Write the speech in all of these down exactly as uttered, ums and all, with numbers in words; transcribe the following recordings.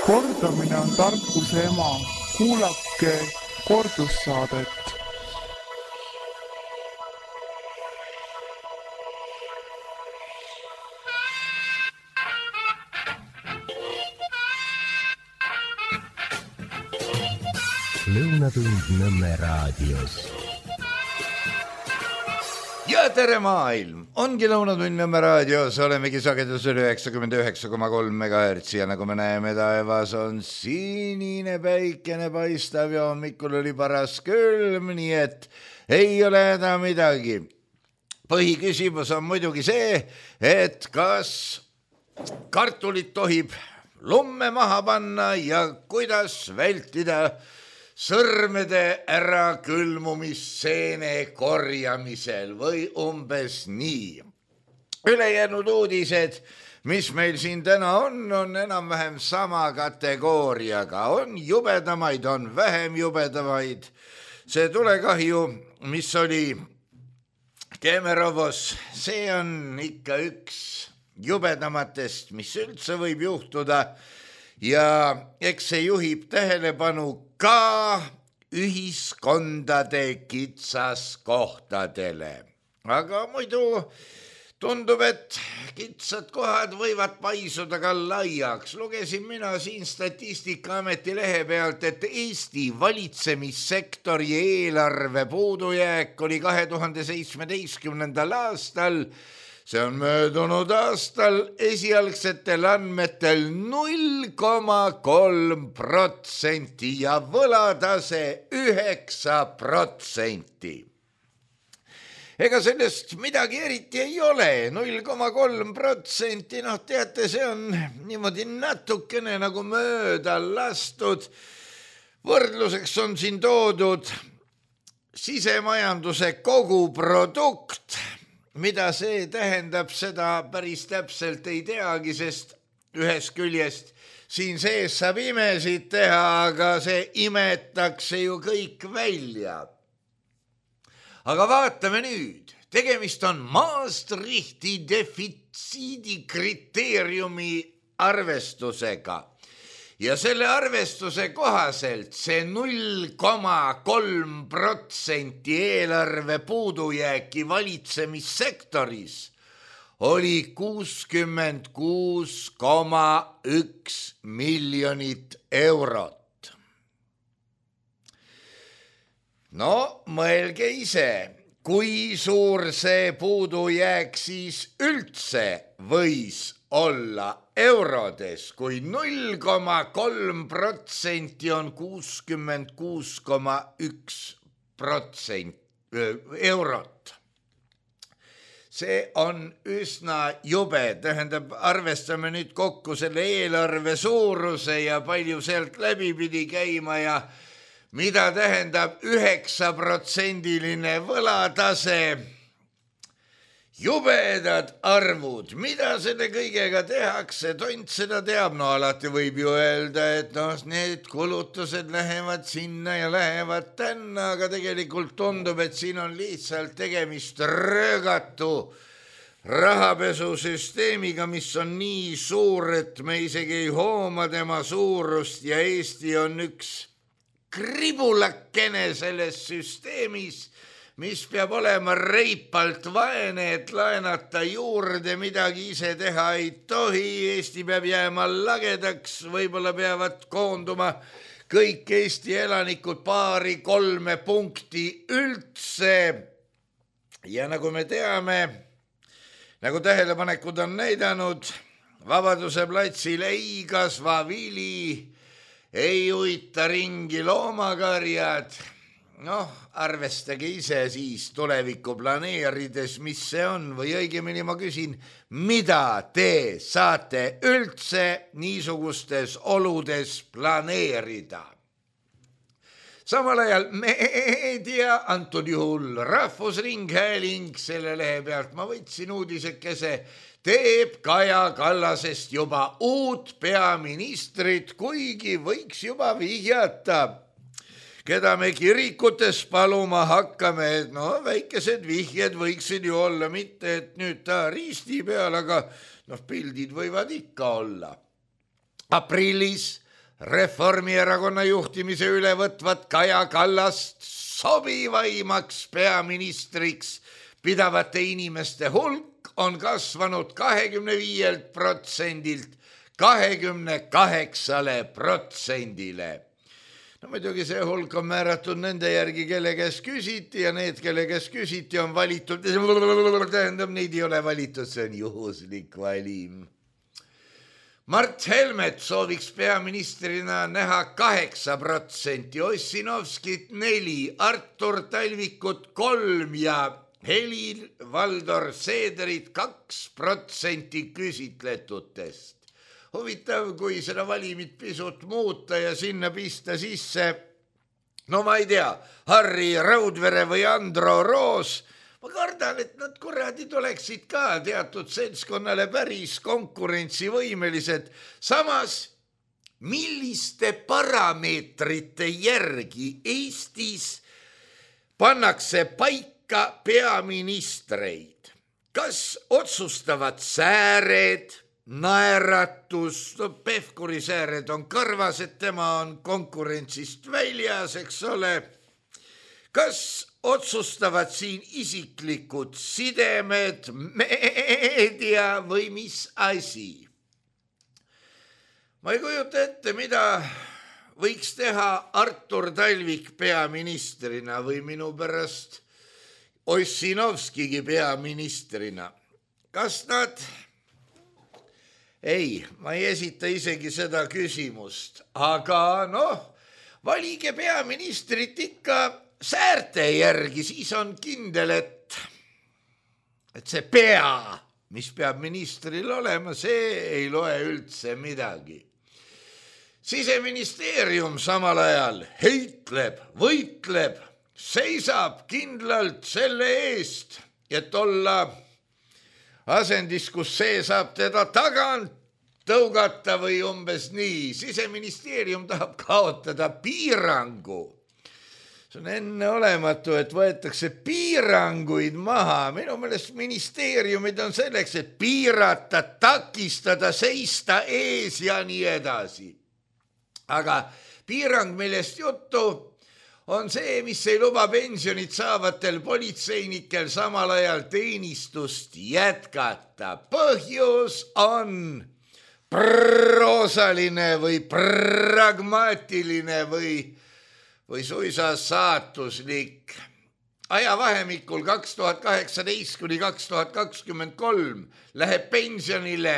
Kordamine on tarkuse ema. Kuulake kordussaadet. Lõunatund Nõmme raadios. Ja tere maailm! Ongi Lõunatund Nõmme raadios, olemegi sagedusel üheksakümmend üheksa koma kolm megahertsi ja nagu me näeme, taevas on sinine päikene paistav ja hommikul oli paras külm, nii et ei ole häda midagi. Põhiküsimus on muidugi see, et kas kartulit tohib lumme maha panna ja kuidas vältida sõrmede ära külmumisseene korjamisel või umbes nii. Ülejäänud uudised, mis meil siin täna on, on enam-vähem sama kategooriaga. On jubedamaid, on vähem jubedamaid. See tulekahju, mis oli Kemerovos, see on ikka üks jubedamatest, mis üldse võib juhtuda. Ja eks see juhib tähelepanu ka ühiskondade kitsaskohtadele. Aga muidu tundub, et kitsad kohad võivad paisuda ka laiaks. Lugesin mina siin Statistikaameti lehe pealt, et Eesti valitsemissektori eelarve puudujääk oli kahe tuhande seitsmeteistkümnendal aastal. See on möödunud aastal esialgsetel andmetel null koma kolm protsenti ja võlatase üheksa protsenti. Ega sellest midagi eriti ei ole, null koma kolm protsenti, noh teate, see on niimoodi natukene nagu mööda lastud. Võrdluseks on siin toodud sisemajanduse koguprodukt. Mida see tähendab, seda päris täpselt ei teagi, sest ühest küljest siin sees saab imesid teha, aga see imetakse ju kõik välja. Aga vaatame nüüd, tegemist on Maastrichti defitsiidi kriteeriumi arvestusega. Ja selle arvestuse kohaselt see null koma kolm protsenti eelarve puudujääki valitsemissektoris oli kuuskümmend kuus koma üks miljonit eurot. No mõelge ise, kui suur see puudujääk siis üldse võis olla eurodes, kui null koma kolm protsenti on kuuskümmend kuus koma üks protsenti eurot. See on üsna jube, tähendab, arvestame nüüd kokku selle eelarve suuruse ja palju sealt läbi pidi käima ja mida tähendab üheksa protsendiline võlatase. Jubedad arvud, mida selle kõigega tehakse, tont seda teab, no alati võib ju öelda, et no, need kulutused lähevad sinna ja lähevad tänna, aga tegelikult tundub, et siin on lihtsalt tegemist röögatu rahapesusüsteemiga, mis on nii suur, et me isegi ei hooma tema suurust ja Eesti on üks kribulakene selles süsteemis, mis peab olema reipalt vaene, et laenata juurde, midagi ise teha ei tohi, Eesti peab jääma lagedaks, võib-olla peavad koonduma kõik Eesti elanikud paari kolme punkti üldse. Ja nagu me teame, nagu tähelepanekud on näidanud, Vabaduse platsil ei kasva vili, ei uita ringi loomakarjad. Noh, arvestage ise siis tulevikku planeerides, mis see on, või õigemini ma küsin, mida te saate üldse niisugustes oludes planeerida? Samal ajal meedia, antud juhul Rahvusringhääling, selle lehe pealt ma võtsin uudisekese, teeb Kaja Kallasest juba uut peaministrit, kuigi võiks juba vihjata, keda me kirikutes paluma hakkame, et no väikesed vihjed võiksid ju olla, mitte et nüüd ta risti peal, aga noh, pildid võivad ikka olla. Aprillis Reformierakonna juhtimise üle võtvat Kaja Kallast sobivaimaks peaministriks pidavate inimeste hulk on kasvanud kahekümne viielt protsendilt kahekümne kaheksale protsendile. No muidugi see hulk on määratud nende järgi, kelle kes küsiti ja need, kelle kes küsiti, on valitud. Tähendab, neid ei ole valitud, see on juhuslik valim. Mart Helmet sooviks peaministrina näha kaheksa protsenti, Ossinovskit neli, Artur Talvikut kolm ja Helir-Valdor Seederit kaks protsenti küsitletutest. Huvitav, kui seda valimit pisut muuta ja sinna pista sisse, no ma ei tea, Harri Raudvere või Andro Roos, ma kardan, et nad kuradid oleksid ka teatud seltskonnale päris konkurentsivõimelised. Samas, milliste parameetrite järgi Eestis pannakse paika peaministreid? Kas otsustavad sääred, naeratus, no Pevkuri sääred on karvas, et tema on konkurentsist väljas, eks ole. Kas otsustavad siin isiklikud sidemed, meedia või mis asi? Ma ei kujuta ette, mida võiks teha Artur Talvik peaministrina või minu pärast Ossinovskigi peaministrina. Kas nad... Ei, ma ei esita isegi seda küsimust, aga noh, valige peaministrit ikka säärte järgi, siis on kindel, et, et see pea, mis peab ministril olema, see ei loe üldse midagi. Siseministeerium samal ajal heitleb, võitleb, seisab kindlalt selle eest, et olla asendis, kus see saab teda tagant tõugata või umbes nii. Siseministeerium tahab kaotada piirangu. See on enneolematu, et võetakse piiranguid maha. Minu meelest ministeeriumid on selleks, et piirata, takistada, seista ees ja nii edasi. Aga piirang, millest juttu, on see, mis ei luba pensionit saavatel politseinikel samal ajal teenistust jätkata. Põhjus on proosaline või pragmaatiline või, või suisa saatuslik. Ajavahemikul kaks tuhat kaheksateist kuni kaks tuhat kakskümmend kolm läheb pensionile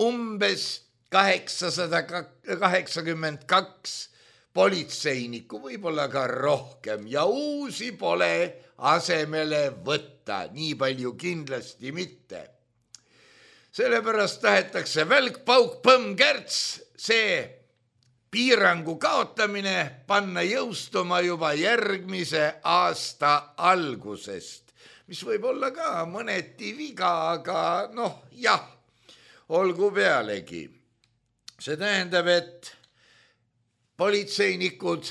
umbes kaheksasada kaheksakümmend kaks politseinikku, võib-olla ka rohkem, ja uusi pole asemele võtta, nii palju kindlasti mitte. Sellepärast tahetakse välk, pauk, põmm, kärts, see piirangu kaotamine panna jõustuma juba järgmise aasta algusest, mis võib olla ka mõneti viga, aga noh, jah, olgu pealegi. See tähendab, et politseinikud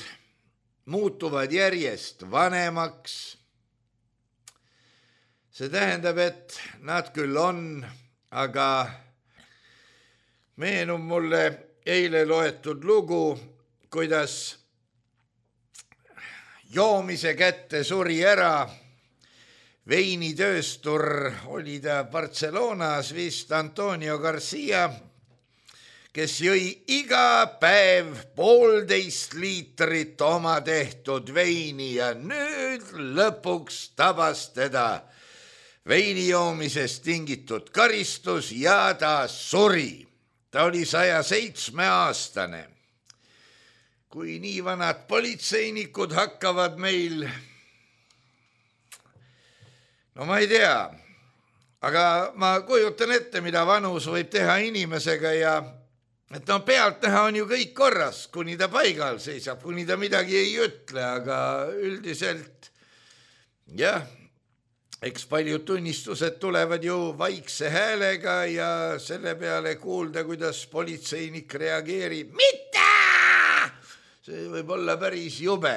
muutuvad järjest vanemaks. See tähendab, et nad küll on, aga meenub mulle eile loetud lugu, kuidas joomise kätte suri ära veinitööstur, oli ta Barcelonas vist, Antonio Garcia, kes jõi iga päev poolteist liitrit oma tehtud veini ja nüüd lõpuks tabas teda veinijoomisest tingitud karistus ja ta suri. Ta oli saja seitsme aastane. Kui nii vanad politseinikud hakkavad meil, no ma ei tea, aga ma kujutan ette, mida vanus võib teha inimesega ja et no pealt näha on ju kõik korras, kuni ta paigal seisab, kuni ta midagi ei ütle, aga üldiselt jah, eks paljud tunnistused tulevad ju vaikse häälega ja selle peale kuulda, kuidas politseinik reageerib. Mitte! See võib olla päris jube.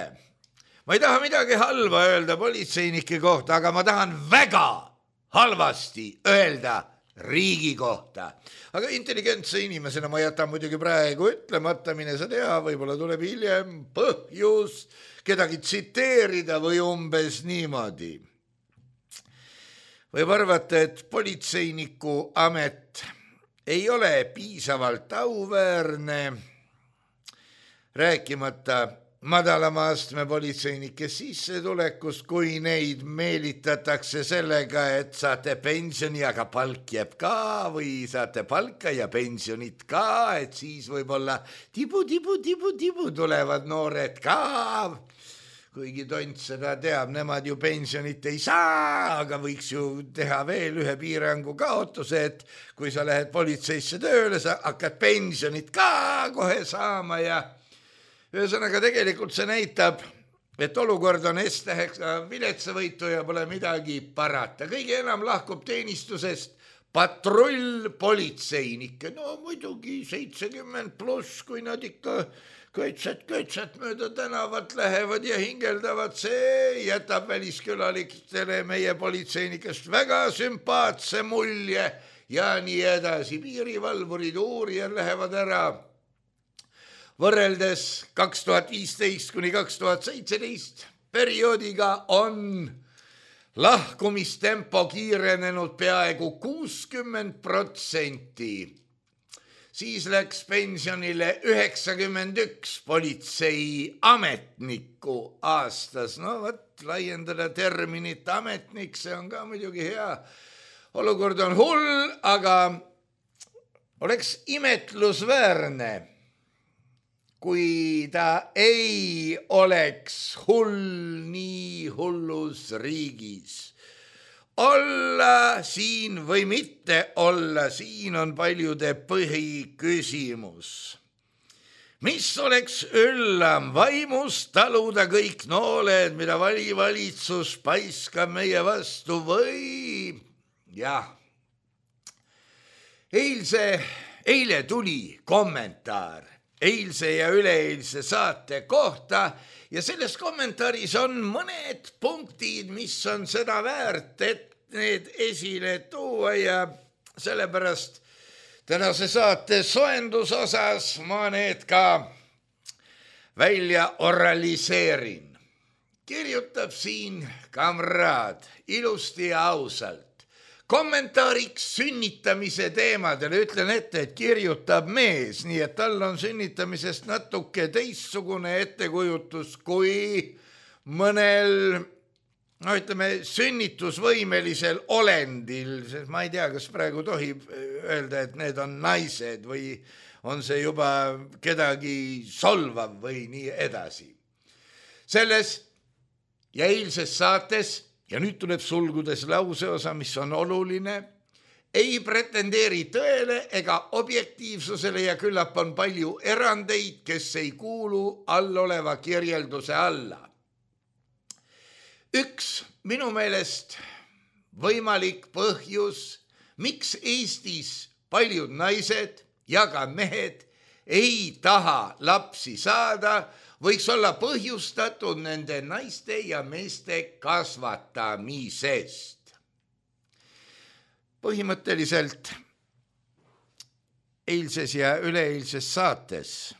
Ma ei taha midagi halba öelda politseinike kohta, aga ma tahan väga halvasti öelda riigi kohta. Aga intelligentse inimesena ma jätan muidugi praegu ütlemata, mine sa tea, võib-olla tuleb hiljem põhjus kedagi tsiteerida või umbes niimoodi. Võib arvata, et politseiniku amet ei ole piisavalt auväärne, rääkimata madalama astme politseinike sissetulekust, kui neid meelitatakse sellega, et saate pensioni, aga palk jääb ka või saate palka ja pensionit ka, et siis võib-olla tibu, tibu, tibu, tibu tulevad noored ka. Kuigi tont seda teab, nemad ju pensionit ei saa, aga võiks ju teha veel ühe piirangu kaotuse, et kui sa lähed politseisse tööle, sa hakkad pensionit ka kohe saama ja ühesõnaga tegelikult see näitab, et olukord on S-tähega viletsavõitu ja pole midagi parata. Kõige enam lahkub teenistusest patrull politseinikke. No muidugi seitsekümmend pluss, kui nad ikka köitsed-köitsed mööda tänavat lähevad ja hingeldavad, see jätab väliskülalistele meie politseinikest väga sümpaatse mulje ja nii edasi. Piirivalvurid, uurijad lähevad ära. Võrreldes kaks tuhat viisteist kuni kaks tuhat seitseteist perioodiga on lahkumistempo kiirenenud peaaegu kuuskümmend protsenti. Siis läks pensionile üheksakümmend üks politsei ametnikku aastas. No võt, laiendada terminit ametnik, see on ka muidugi hea. Olukord on hull, aga oleks imetlusväärne, kui ta ei oleks hull nii hullus riigis. Olla siin või mitte olla, siin on paljude põhiküsimus. Mis oleks üllam vaimust taluda kõik nooled, mida valivalitsus paiskab meie vastu või? Jah. Eilse, eile tuli kommentaar eilse ja üleeilse saate kohta ja selles kommentaaris on mõned punktid, mis on seda väärt, et need esile tuua ja sellepärast tänase saate soendusosas ma need ka välja oraliseerin. Kirjutab siin kamraad ilusti ja ausalt. Kommentaariks sünnitamise teemadele ütlen ette, et kirjutab mees, nii et tal on sünnitamisest natuke teistsugune ettekujutus kui mõnel, no ütleme, sünnitusvõimelisel olendil, sest ma ei tea, kas praegu tohib öelda, et need on naised või on see juba kedagi solvav või nii edasi. Selles ja eilses saates ja nüüd tuleb sulgudes lauseosa, mis on oluline, ei pretendeeri tõele ega objektiivsusele ja küllap on palju erandeid, kes ei kuulu alloleva kirjelduse alla. Üks minu meelest võimalik põhjus, miks Eestis paljud naised ja ka mehed ei taha lapsi saada, võiks olla põhjustatud nende naiste ja meeste kasvatamisest. Põhimõtteliselt eilses ja üleeilses saates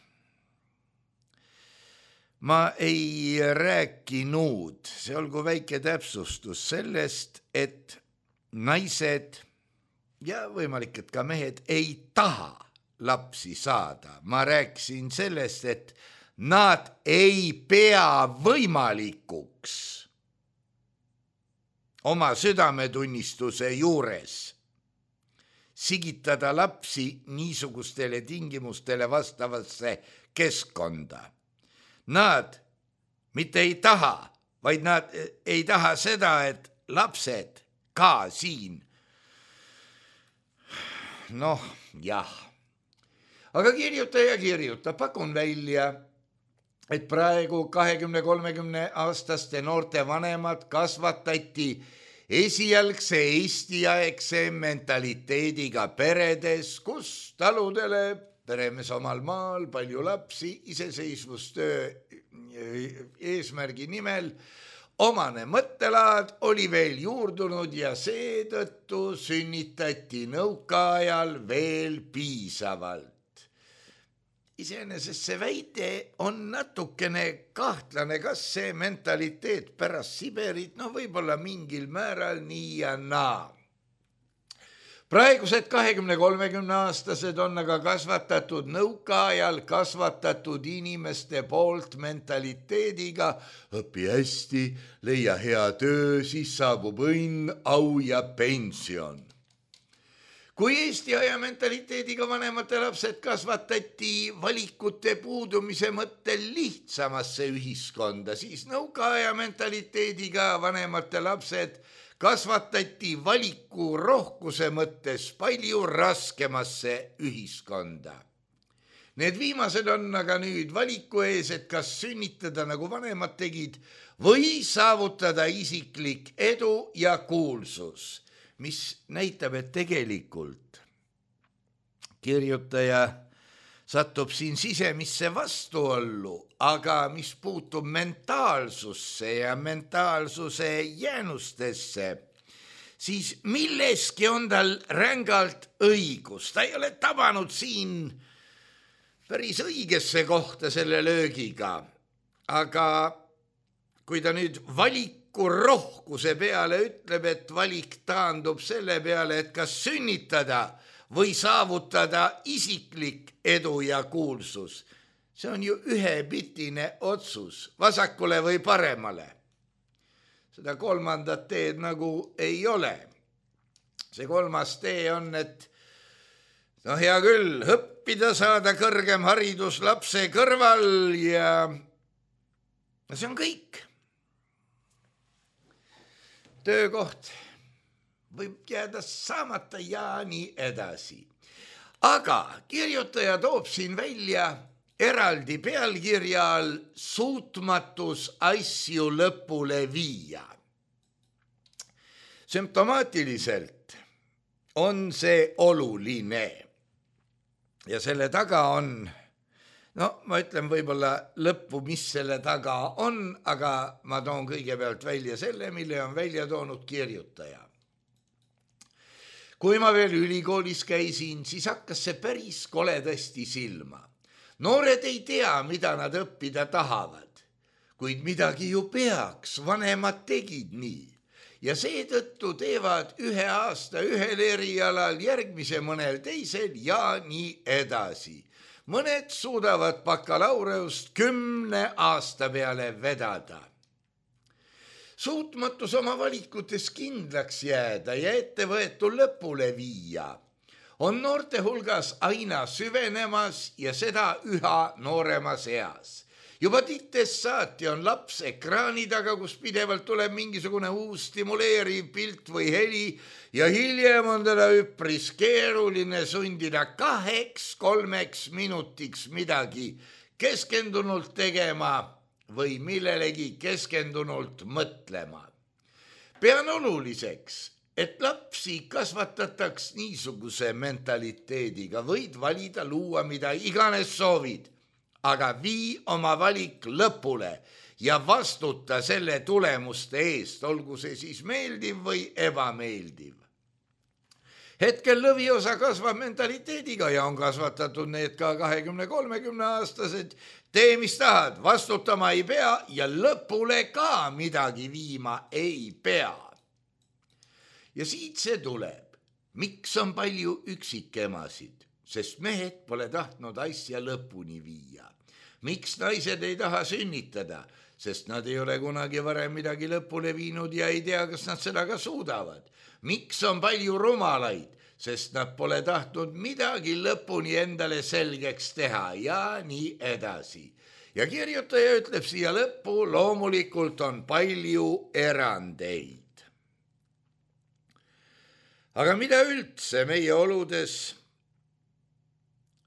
ma ei rääkinud, see olgu väike täpsustus sellest, et naised ja võimalik, et ka mehed ei taha lapsi saada. Ma rääkisin sellest, et nad ei pea võimalikuks oma südametunnistuse juures sigitada lapsi niisugustele tingimustele vastavasse keskkonda. Nad mitte ei taha, vaid nad ei taha seda, et lapsed ka siin. Noh, jah. Aga kirjuta ja kirjuta, pakun välja, et praegu kahekümne kolmekümne aastaste noorte vanemad kasvatati esialgse eestiaegse mentaliteediga peredes, kus taludele peremees omal maal palju lapsi iseseisvustöö eesmärgi nimel omane mõttelaad oli veel juurdunud ja seetõttu sünnitati nõukaajal veel piisavalt. Iseenesest see väide on natukene kahtlane, kas see mentaliteet pärast Siberit, no võib-olla mingil määral nii ja naa. Praegused kahekümne kolmekümne aastased on aga kasvatatud nõukaajal kasvatatud inimeste poolt mentaliteediga õpi hästi, leia hea töö, siis saabub õnn, au ja pension. Kui Eesti aja mentaliteediga vanemate lapsed kasvatati valikute puudumise mõttel lihtsamasse ühiskonda, siis nõukaaja mentaliteediga vanemate lapsed kasvatati valiku rohkuse mõttes palju raskemasse ühiskonda. Need viimased on aga nüüd valiku ees, et kas sünnitada nagu vanemad tegid või saavutada isiklik edu ja kuulsus, mis näitab, et tegelikult kirjutaja satub siin sisemisse vastuollu, aga mis puutub mentaalsusse ja mentaalsuse jäänustesse, siis milleski on tal rängalt õigus. Ta ei ole tabanud siin päris õigesse kohta selle löögiga, aga kui ta nüüd valiku rohkuse peale ütleb, et valik taandub selle peale, et kas sünnitada või saavutada isiklik edu ja kuulsus. See on ju ühepitine otsus, vasakule või paremale. Seda kolmandat teed nagu ei ole. See kolmas tee on, et no hea küll, õppida, saada kõrgem haridus lapse kõrval ja see on kõik. Töökoht võib jääda saamata ja nii edasi. Aga kirjutaja toob siin välja eraldi pealkirjal suutmatus asju lõpule viia. Sümptomaatiliselt on see oluline ja selle taga on, no ma ütlen võib-olla lõppu, mis selle taga on, aga ma toon kõigepealt välja selle, mille on välja toonud kirjutaja. Kui ma veel ülikoolis käisin, siis hakkas see päris koledasti silma. Noored ei tea, mida nad õppida tahavad, kuid midagi ju peaks, vanemad tegid nii. Ja seetõttu teevad ühe aasta ühel erialal, järgmise mõnel teisel ja nii edasi. Mõned suudavad bakalaureust kümne aasta peale vedada. Suutmatus oma valikutes kindlaks jääda ja ettevõetu lõpule viia on noorte hulgas aina süvenemas ja seda üha nooremas eas. Juba tittest saati on laps ekraani taga, kus pidevalt tuleb mingisugune uus stimuleeriv pilt või heli ja hiljem on teda üpris keeruline sundida kaheks, kolmeks minutiks midagi keskendunult tegema või millelegi keskendunult mõtlema. Pean oluliseks, et lapsi kasvatataks niisuguse mentaliteediga, võid valida, luua, mida iganes soovid, aga vii oma valik lõpule ja vastuta selle tulemuste eest, olgu see siis meeldiv või ebameeldiv. Hetkel lõviosa kasvab mentaliteediga ja on kasvatatud need ka kahekümne kolmekümne aastased. Tee, mis tahad, vastutama ei pea ja lõpule ka midagi viima ei pea. Ja siit see tuleb. Miks on palju üksikemasid? Sest mehed pole tahtnud asja lõpuni viia. Miks naised ei taha sünnitada? Sest nad ei ole kunagi varem midagi lõpule viinud ja ei tea, kas nad seda ka suudavad. Miks on palju rumalaid? Sest nad pole tahtnud midagi lõpuni endale selgeks teha ja nii edasi. Ja kirjutaja ütleb siia lõppu, loomulikult on palju erandeid. Aga mida üldse meie oludes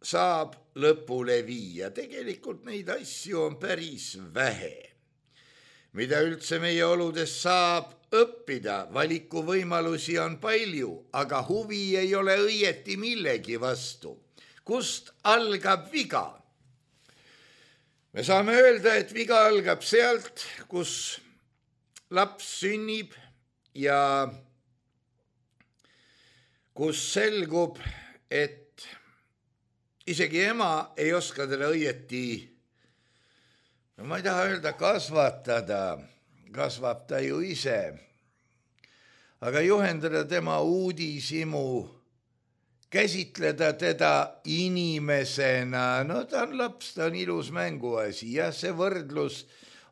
saab lõpule viia? Tegelikult neid asju on päris vähe. Mida üldse meie oludes saab õppida? Valikuvõimalusi on palju, aga huvi ei ole õieti millegi vastu. Kust algab viga? Me saame öelda, et viga algab sealt, kus laps sünnib ja kus selgub, et isegi ema ei oska teda õieti, no ma ei taha öelda kasvatada, kasvab ta ju ise, aga juhendada tema uudishimu, käsitleda teda inimesena, no ta on laps, ta on ilus mänguasi, jah, see võrdlus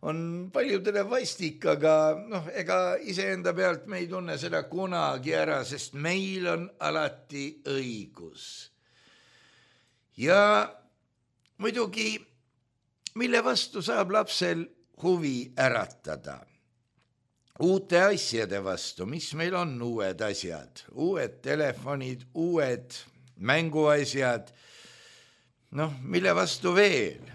on paljudele vastik, aga noh, ega iseenda pealt me ei tunne seda kunagi ära, sest meil on alati õigus. Ja muidugi, mille vastu saab lapsel huvi äratada? Uute asjade vastu, mis meil on uued asjad, uued telefonid, uued mänguasjad, noh, mille vastu veel?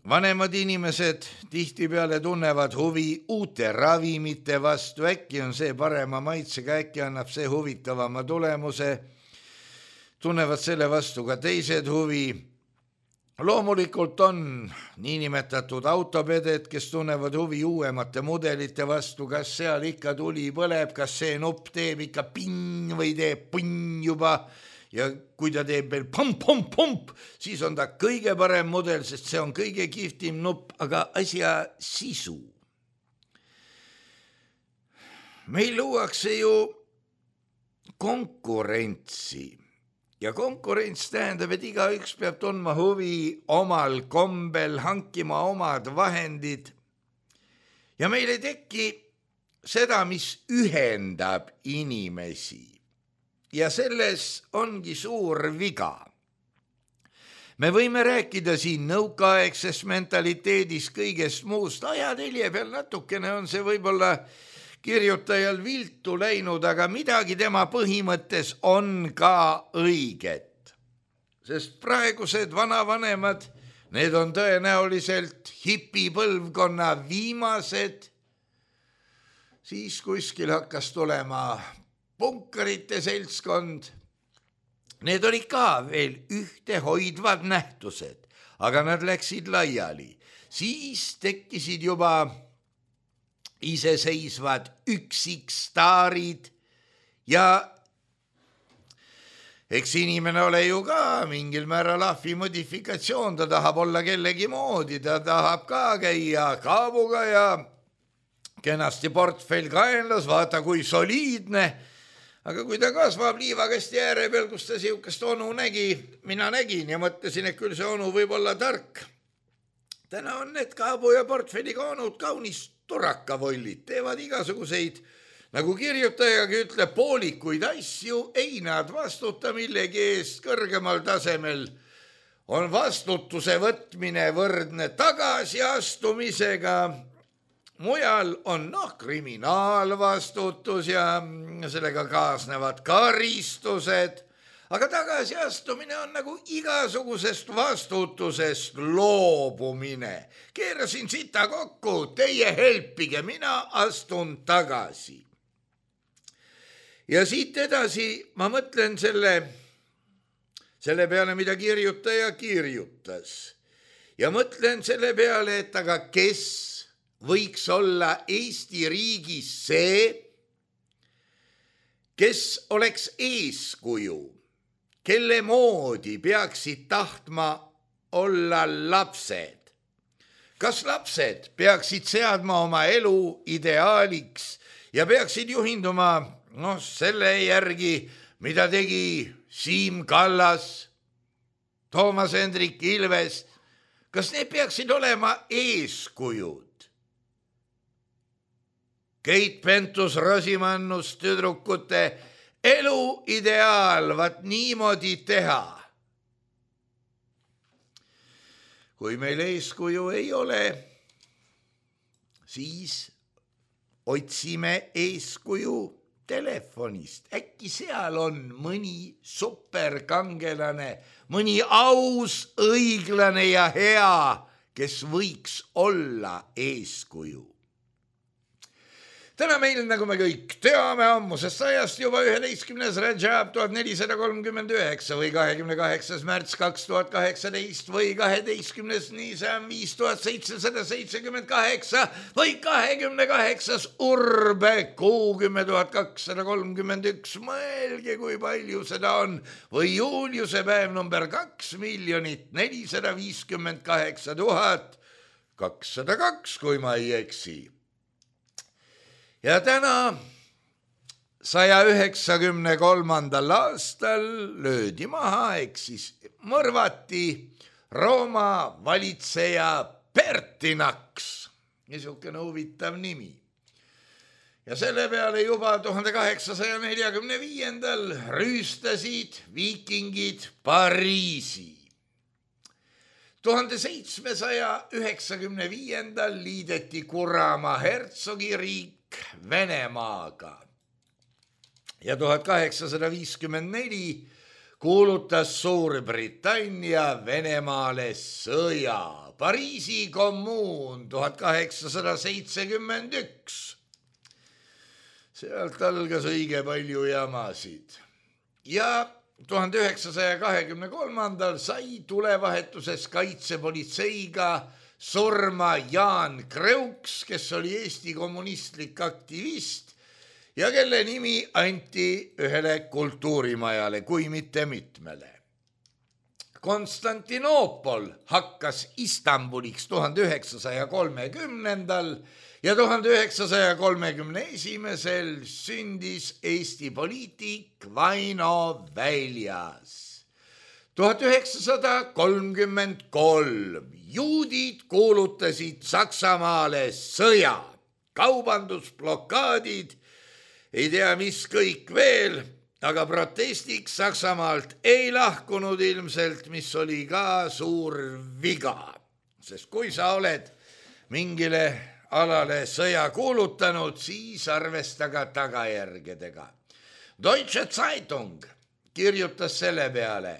Vanemad inimesed tihtipeale tunnevad huvi uute ravimite vastu, äkki on see parema maitsega, äkki annab see huvitavama tulemuse, tunnevad selle vastu ka teised huvi. Loomulikult on niinimetatud autopeded, kes tunnevad huvi uuemate mudelite vastu, kas seal ikka tuli põleb, kas see nupp teeb ikka ping või teeb punn juba ja kui ta teeb veel pomp-pomp-pomp, siis on ta kõige parem mudel, sest see on kõige kihvtim nupp, aga asja sisu. Meil luuakse ju konkurentsi. Ja konkurents tähendab, et igaüks peab tundma huvi omal kombel, hankima omad vahendid. Ja meil ei teki seda, mis ühendab inimesi. Ja selles ongi suur viga. Me võime rääkida siin nõukaaegses mentaliteedis kõigest muust. Ajatelje peal natukene on see võib-olla kirjutajal viltu läinud, aga midagi tema põhimõttes on ka õiget. Sest praegused vanavanemad, need on tõenäoliselt hipipõlvkonna viimased, siis kuskil hakkas tulema punkarite seltskond. Need olid ka veel ühtehoidvad nähtused, aga nad läksid laiali. Siis tekkisid juba iseseisvad üksikstaarid ja eks inimene ole ju ka mingil määral ahvi modifikatsioon, ta tahab olla kellegi moodi, ta tahab ka käia kaabuga ja kenasti portfell kaenlas, vaata kui soliidne, aga kui ta kasvab liivakasti ääre peal, kus ta siukest onu nägi, mina nägin ja mõtlesin, et küll see onu võib olla tark. Täna on need kaabu ja portfelliga onud kaunis turakavollid, teevad igasuguseid, nagu kirjutajagi ütleb, poolikuid asju, ei nad vastuta millegi eest kõrgemal tasemel. On vastutuse võtmine võrdne tagasiastumisega, mujal on noh, kriminaalvastutus ja sellega kaasnevad karistused, aga tagasiastumine on nagu igasugusest vastutusest loobumine. Keerasin sita kokku, teie helpige, mina astun tagasi. Ja siit edasi ma mõtlen selle, selle peale, mida kirjutaja kirjutas. Ja mõtlen selle peale, et aga kes võiks olla Eesti riigis see, kes oleks eeskuju, kelle moodi peaksid tahtma olla lapsed. Kas lapsed peaksid seadma oma elu ideaaliks ja peaksid juhinduma no, selle järgi, mida tegi Siim Kallas, Toomas Hendrik Ilves? Kas need peaksid olema eeskujud? Keit Pentus-Rosimannus tüdrukute elu ideaal, vaat niimoodi teha. Kui meil eeskuju ei ole, siis otsime eeskuju telefonist. Äkki seal on mõni superkangelane, mõni aus, õiglane ja hea, kes võiks olla eeskuju. Täna meil, nagu me kõik teame, ammusest sajast juba üheteistkümnes Rajab tuhat nelisada kolmkümmend üheksa või kahekümne kaheksas märts kaks tuhat kaheksateist või kaheteistkümnes Niisam viis tuhat seitsesada seitsekümmend kaheksa või kahekümne kaheksas Urbe kuu kümme tuhat kakssada kolmkümmend üks. Mõelge, kui palju seda on. Või Juliuse päev number kaks miljonit nelisada viiskümmend kaheksa tuhat kakssada kaks, kui ma ei eksi. Ja täna saja üheksakümne kolmandal aastal löödi maha, ehk siis mõrvati Rooma valitseja Pertinax. Niisugune huvitav nimi. Ja selle peale juba tuhande kaheksasaja neljakümne viiendal rüüstasid viikingid Pariisi. tuhande seitsmesaja üheksakümne viiendal liideti Kuramaa hertsogiriik Venemaaga ja tuhat kaheksasada viiskümmend neli kuulutas Suurbritannia Venemaale sõja. Pariisi kommuun tuhat kaheksasada seitsekümmend üks. Sealt algas õige palju jamasid. Ja tuhande üheksasaja kahekümne kolmandal sai tulevahetuses kaitsepolitseiga surma Jaan Kreuks, kes oli Eesti kommunistlik aktivist ja kelle nimi anti ühele kultuurimajale, kui mitte mitmele. Konstantinoopol hakkas Istanbuliks tuhande üheksasaja kolmekümnendal ja tuhande üheksasaja kolmekümne esimesel sündis Eesti poliitik Vaino Väljas. tuhat üheksasada kolmkümmend kolm juudid kuulutasid Saksamaale sõja, kaubandusblokaadid, ei tea mis kõik veel, aga protestiks Saksamaalt ei lahkunud ilmselt, mis oli ka suur viga. Sest kui sa oled mingile alale sõja kuulutanud, siis arvesta ka tagajärgedega. Deutsche Zeitung kirjutas selle peale: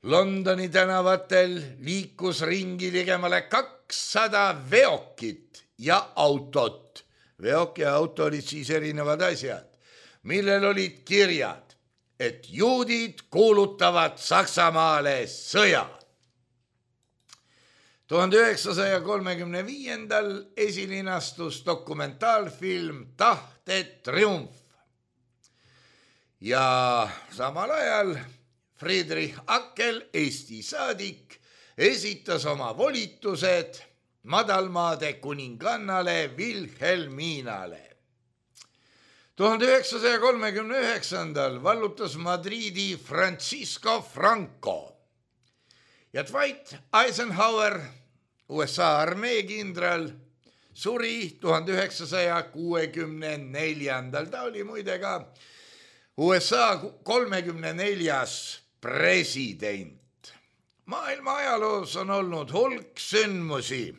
Londoni tänavatel liikus ringi ligemale kakssada veokit ja autot. Veok ja auto olid siis erinevad asjad, millel olid kirjad, et juudid kuulutavad Saksamaale sõja. tuhande üheksasaja kolmekümne viiendal esilinastus dokumentaalfilm Tahte triumf. Ja samal ajal Friedrich Ackel, Eesti saadik, esitas oma volitused madalmaade kuningannale Wilhelminale. tuhande üheksasaja kolmekümne üheksandal vallutas Madridi Francisco Franco ja Dwight Eisenhower, U S A armeekindral, suri tuhande üheksasaja kuuekümne neljandal. Ta oli muide ka U S A kolmekümne neljas president. Maailma ajaloos on olnud hulk sündmusi,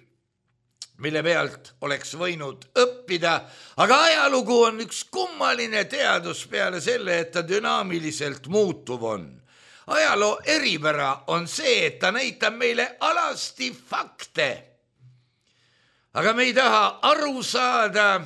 mille pealt oleks võinud õppida, aga ajalugu on üks kummaline teadus peale selle, et ta dünaamiliselt muutuv on. Ajaloo eripära on see, et ta näitab meile alasti fakte, aga me ei taha aru saada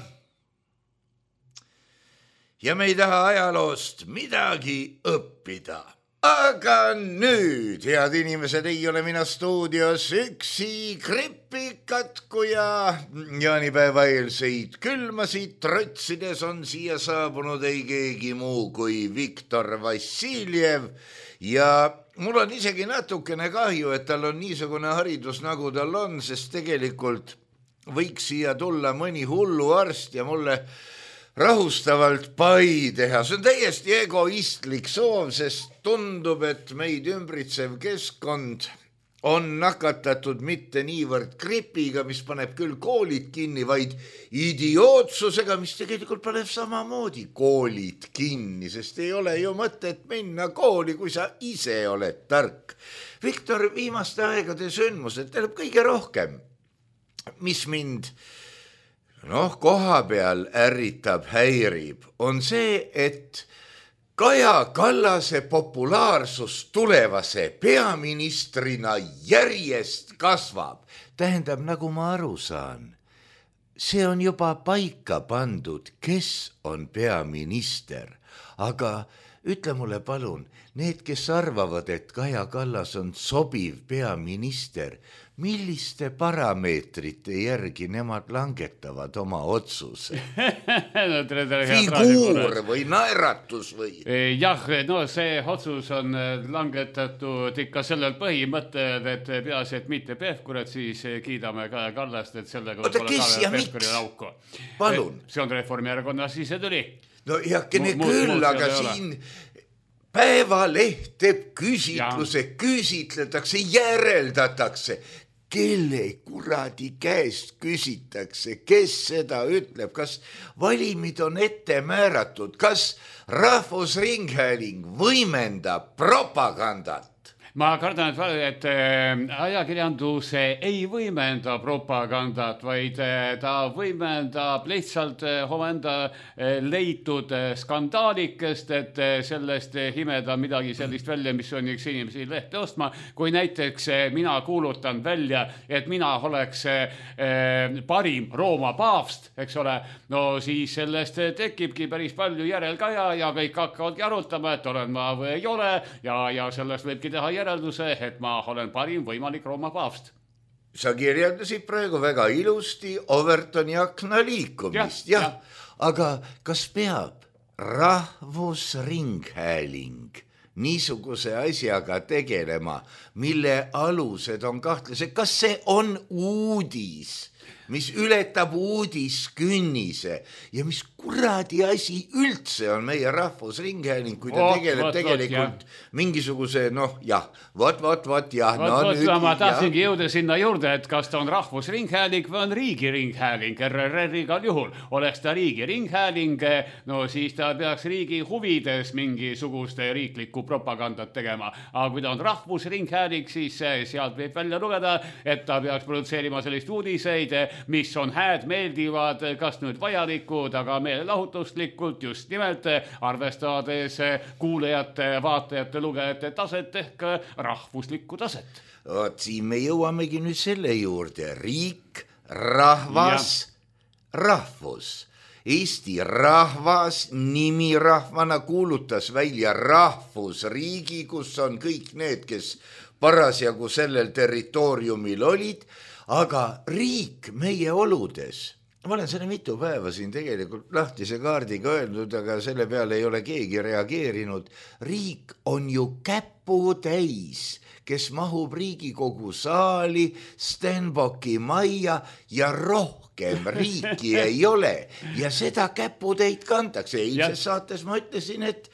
ja me ei taha ajaloost midagi õppida. Aga nüüd, head inimesed, ei ole mina stuudios üksi, gripikatku ja jaanipäeva eelseid külmasid trotsides on siia saabunud ei keegi muu kui Viktor Vassiljev ja mul on isegi natukene kahju, et tal on niisugune haridus, nagu tal on, sest tegelikult võiks siia tulla mõni hullu arst ja mulle rahustavalt pai teha. See on täiesti egoistlik soov, sest tundub, et meid ümbritsev keskkond on nakatatud mitte niivõrd gripiga, mis paneb küll koolid kinni, vaid idiootsusega, mis tegelikult paneb samamoodi koolid kinni, sest ei ole ju mõtet minna kooli, kui sa ise oled tark. Viktor, viimaste aegade sündmused tähendab kõige rohkem, mis mind noh, koha peal ärritab, häirib, on see, et Kaja Kallase populaarsus tulevase peaministrina järjest kasvab. Tähendab, nagu ma aru saan, see on juba paika pandud, kes on peaminister, aga ütle mulle palun, need, kes arvavad, et Kaja Kallas on sobiv peaminister, milliste parameetrite järgi nemad langetavad oma otsuse? no, tere, tere, figuur või naeratus või? Jah, no see otsus on langetatud ikka sellel põhimõttel, et peaasi, et mitte Pevkur, et siis kiidame Kaja Kallast, et sellega oota, kes ja miks? Palun. See on Reformierakonna sisetüli. No heakene küll, aga siin Päevaleht teeb küsitluse, küsitletakse, järeldatakse. Kelle kuradi käest küsitakse, kes seda ütleb, kas valimid on ette määratud, kas Rahvusringhääling võimendab propagandat? Ma kardan, et ajakirjandus ei võimenda propagandat, vaid ta võimendab lihtsalt omenda leitud skandaalikest, et sellest himeda midagi sellist välja, mis on üks inimesi lehte ostma. Kui näiteks mina kuulutan välja, et mina oleks parim Rooma paavst, eks ole, no siis sellest tekibki päris palju järelkaja ja kõik hakkavadki arutama, et olen ma või ei ole ja, ja sellest võibki teha järelduse, et ma olen parim võimalik Rooma paavst. Sa kirjeldasid praegu väga ilusti Overtoni akna liikumist, jah, jah. Ja. Aga kas peab Rahvusringhääling niisuguse asjaga tegelema, mille alused on kahtlased? Kas see on uudis, mis ületab uudiskünnise ja mis kuradi asi üldse on meie Rahvusringhääling, kui ta Ot, tegeleb ot, tegelikult ot, mingisuguse, noh, jah, vot, vot, vot, jah. Vot, no, vot, nüüd, ma tahtsingi jõuda sinna juurde, et kas ta on Rahvusringhääling või on Riigiringhääling. R R R igal juhul. Oleks ta Riigiringhääling, no siis ta peaks riigi huvides mingisuguste riiklikku propagandat tegema. Aga kui ta on Rahvusringhääling, siis sealt võib välja lugeda, et ta peaks produtseerima sellist uudiseid, mis on hääd, meeldivad, kas nüüd vajalikud, aga meelelahutuslikult just nimelt arvestades kuulejate, vaatajate, lugejate taset ehk rahvuslikku taset. Oot, siin me jõuamegi nüüd selle juurde. Riik, rahvas, ja. Rahvus. Eesti rahvas nimirahvana kuulutas välja rahvusriigi, kus on kõik need, kes parasjagu sellel territooriumil olid, aga riik meie oludes, ma olen selle mitu päeva siin tegelikult lahtise kaardiga öelnud, aga selle peale ei ole keegi reageerinud. Riik on ju käputäis, kes mahub Riigikogu saali, Stenbocki majja ja rohkem riiki ei ole. Ja seda käputäid kantakse. Eilses saates ma ütlesin, et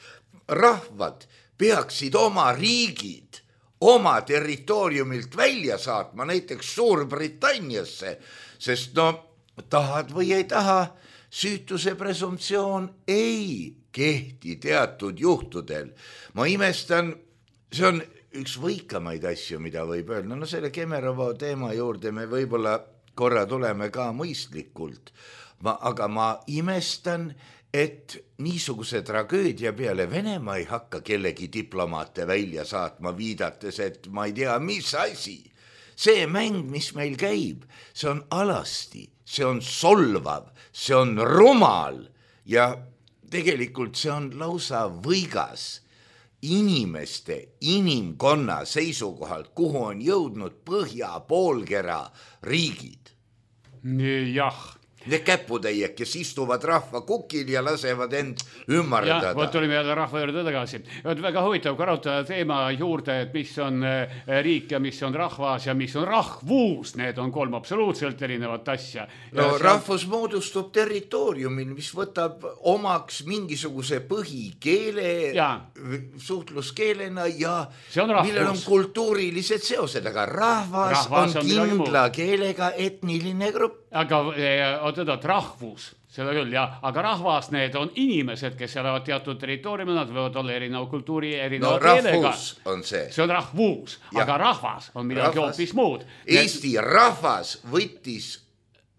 rahvad peaksid oma riigid oma territooriumilt välja saatma, näiteks Suurbritanniasse, sest no tahad või ei taha, süütuse presumptsioon ei kehti teatud juhtudel. Ma imestan, see on üks võikamaid asju, mida võib öelda. No selle Kemerovo teema juurde me võib-olla korra tuleme ka mõistlikult, ma, aga ma imestan, et niisuguse tragöödia peale Venemaa ei hakka kellegi diplomaate välja saatma, viidates, et ma ei tea, mis asi. See mäng, mis meil käib, see on alasti, see on solvav, see on rumal ja tegelikult see on lausa võigas inimeste, inimkonna seisukohalt, kuhu on jõudnud põhja poolkera riigid. Jah. Need käputäied, kes istuvad rahva kukil ja lasevad end ümmardada. Jah, võt olime jälle rahva juurde tagasi. Väga huvitav karotada teema juurde, et mis on riik ja mis on rahvas ja mis on rahvus. Need on kolm absoluutselt erinevat asja. No ja rahvus on... moodustub territooriumil, mis võtab omaks mingisuguse põhikeele ja. Suhtluskeelena ja on millel on kultuurilised seosed, aga rahvas, rahvas on, on kindla keelega etniline grupp. Aga oot, rahvus, seda küll, jah, aga rahvas, need on inimesed, kes elavad teatud territooriumil, nad võivad olla erineva kultuuri, erineva no, keelega. On see. see on rahvus, ja. Aga rahvas on midagi hoopis muud. Eesti need... rahvas võttis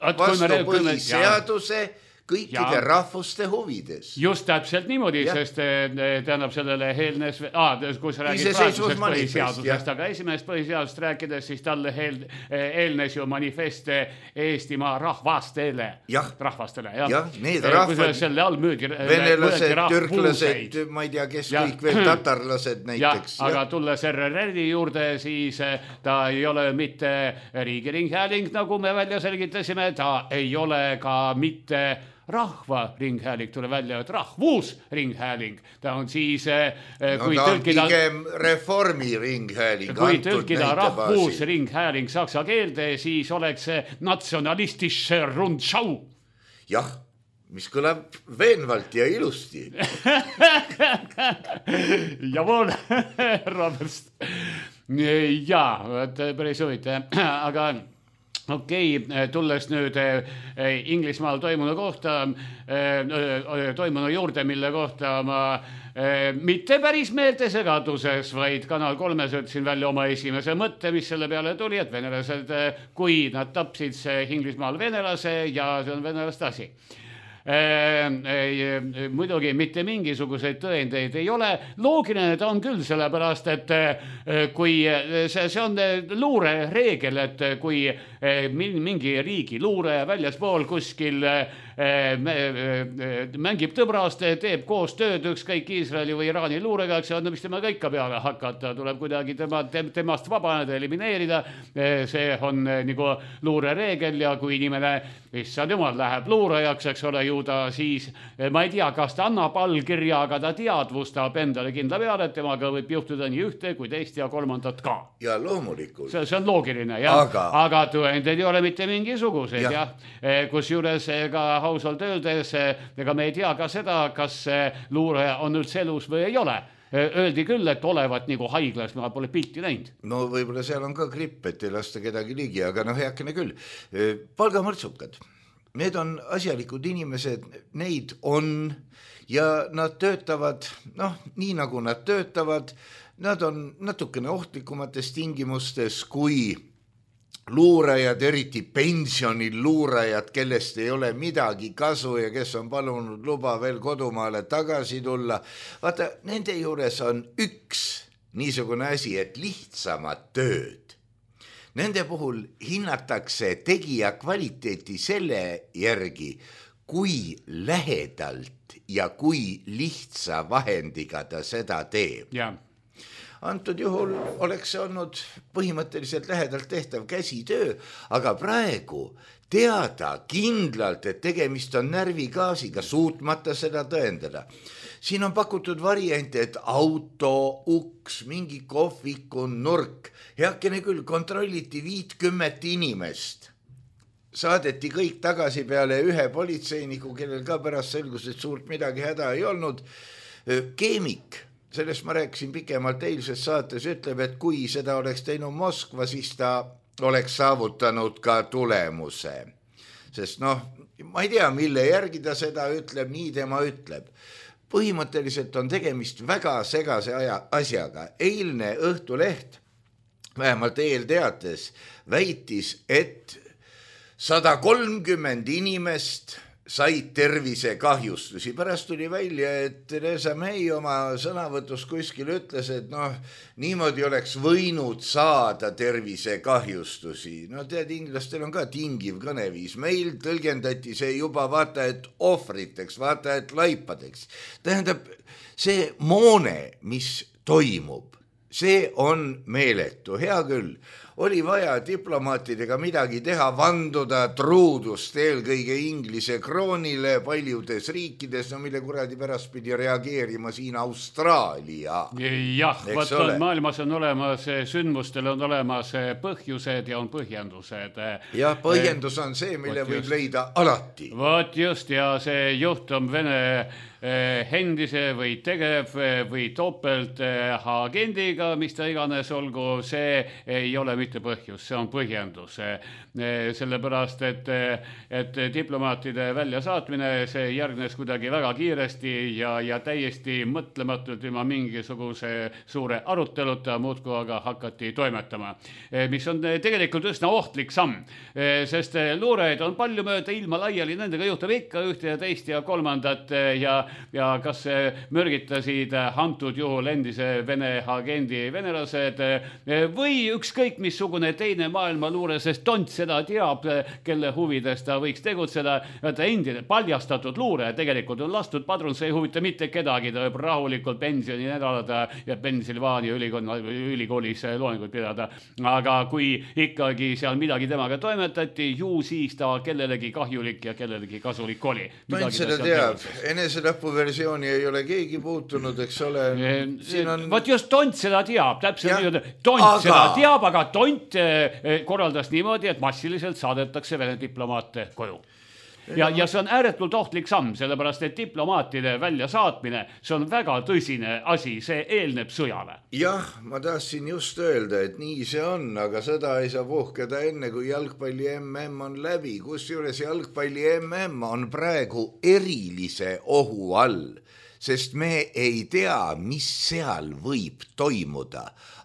vastu põhiseaduse, kõikide ja. rahvuste huvides. Just täpselt niimoodi, ja. sest tähendab sellele eelnes, ah, kui sa räägid praegusest põhiseadusest, aga esimest põhiseadust rääkides, siis talle eel, eelnes ju manifest Eestimaa rahvastele. Jah, rahvastele, jah. Ja, need rahvad, selle all müüdi, venelased, türklased, ma ei tea, kes ja. kõik veel, tatarlased näiteks. Ja, aga tulles R R R-i juurde, siis ta ei ole mitte riigiringhääling, nagu me välja selgitasime, ta ei ole ka mitte rahvaringhääling, tule välja, et rahvusringhääling. Ta on siis, kui no, tõlkida... pigem reformiringhääling. Kui tõlkida rahvusringhääling saksa keelde, siis oleks see natsionalistische Rundschau. Jah, mis kõlab veenvalt ja ilusti. Javool, Roberst. Jaa, päris huvitav, aga... Okei, okay, tulles nüüd Inglismaal toimunu kohta, toimunu juurde, mille kohta ma mitte päris meeltesegaduses, vaid Kanal kolmes ütlesin välja oma esimese mõtte, mis selle peale tuli, et venelased, kui nad tapsid see Inglismaal venelase ja see on venelaste asi. Muidugi mitte mingisuguseid tõendeid ei ole. Loogiline ta on küll, sellepärast, et kui see, see on luure reegel, et kui mingi riigi luure väljaspool kuskil mängib tõbrast, teeb koos tööd ükskõik Iisraeli või Iraani luurega, eks on, mis tema ka ikka peale hakata, tuleb kuidagi tema, temast vabaneda, elimineerida. See on nagu luure reegel ja kui inimene, issand jumal, läheb luurajaks, eks ole, ju ta siis, ma ei tea, kas ta annab allkirja, aga ta teadvustab endale kindla peale, et temaga võib juhtuda nii ühte kui teist ja kolmandat ka. Ja loomulikult. See, see on loogiline, jah. Aga, aga tõendeid ei ole mitte mingisuguseid, jah. Ja. Kus juures ka hausalt öeldes, ega me ei tea ka seda, kas luure on üldse elus või ei ole. Öeldi küll, et olevat nagu haiglas, ma pole pilti näinud. No võib-olla seal on ka gripp, et ei lasta kedagi ligi, aga noh, heakene küll. Palgamõrtsukad, need on asjalikud inimesed, neid on ja nad töötavad, noh, nii nagu nad töötavad, nad on natukene ohtlikumates tingimustes kui luurajad, eriti pensionil luurajad, kellest ei ole midagi kasu ja kes on palunud luba veel kodumaale tagasi tulla. Vaata, nende juures on üks niisugune asi, et lihtsamad tööd. Nende puhul hinnatakse tegija kvaliteeti selle järgi, kui lähedalt ja kui lihtsa vahendiga ta seda teeb. Jah. Antud juhul oleks see olnud põhimõtteliselt lähedalt tehtav käsitöö, aga praegu teada kindlalt, et tegemist on närvigaasiga, suutmata seda tõendada. Siin on pakutud variante, et auto, uks, mingi kohviku nurk, heakene küll, kontrolliti viitkümmet inimest. Saadeti kõik tagasi peale ühe politseiniku, kellel ka pärast selgus, et suurt midagi häda ei olnud. Keemik. Sellest ma rääkisin pikemalt eilses saates, ütleb, et kui seda oleks teinud Moskva, siis ta oleks saavutanud ka tulemuse. Sest noh, ma ei tea, mille järgi ta seda ütleb, nii tema ütleb. Põhimõtteliselt on tegemist väga segase aja, asjaga. Eilne Õhtuleht, vähemalt eelteates, väitis, et sada kolmkümmend inimest said tervisekahjustusi. Pärast tuli välja, et Theresa May oma sõnavõtus kuskil ütles, et noh, niimoodi oleks võinud saada tervisekahjustusi. No tead, inglastel on ka tingiv kõneviis. Meil tõlgendati see juba vaata, et ohvriteks, vaata, et laipadeks. Tähendab, see moone, mis toimub, see on meeletu. Hea küll. Oli vaja diplomaatidega midagi teha, vanduda truudust eelkõige Inglise kroonile paljudes riikides, no mille kuradi pärast pidi reageerima siin Austraalia. Jah, võt on, maailmas on olemas, sündmustel on olemas põhjused ja on põhjendused. Ja põhjendus on see, mille võt võib just leida alati. Võt just, ja see juhtum Vene endise või tegev või topelt agendiga, mis ta iganes olgu, see ei ole mitte mitte põhjus, see on põhjendus. Sellepärast, et, et diplomaatide väljasaatmine, see järgnes kuidagi väga kiiresti ja, ja täiesti mõtlematult ilma mingisuguse suure aruteluta muudkui aga hakati toimetama. Mis on tegelikult üsna ohtlik samm, sest luureid on palju mööda ilma laiali, nendega juhtub ikka ühte ja teist ja kolmandat ja, ja kas mürgitasid antud juhul endise Vene agendi venelased või ükskõik missugune teine maailma luure, sest tont seda teab, kelle huvides ta võiks tegutseda. Ta endine paljastatud luure tegelikult on lastud padrun, see ei huvita mitte kedagi, ta võib rahulikult pensioni nädalada ja Pennsylvania ülikoolis loenguid pidada. Aga kui ikkagi seal midagi temaga toimetati, ju siis ta kellelegi kahjulik ja kellelegi kasulik oli. Tont seda teab, enesetapu versiooni ei ole keegi puutunud, eks ole. Siin on... Vot just tont seda teab, täpselt nii, tont aga... seda teab, aga tont korraldas niimoodi, et massiliselt saadetakse Vene diplomaate koju. Ja, ja see on ääretult ohtlik samm, sellepärast, et diplomaatide väljasaatmine, see on väga tõsine asi, see eelneb sõjale. Jah, ma tahtsin just öelda, et nii see on, aga sõda ei saa puhkeda enne, kui jalgpalli M M on läbi, kus juures jalgpalli M M on praegu erilise ohu all. Sest me ei tea, mis seal võib toimuda.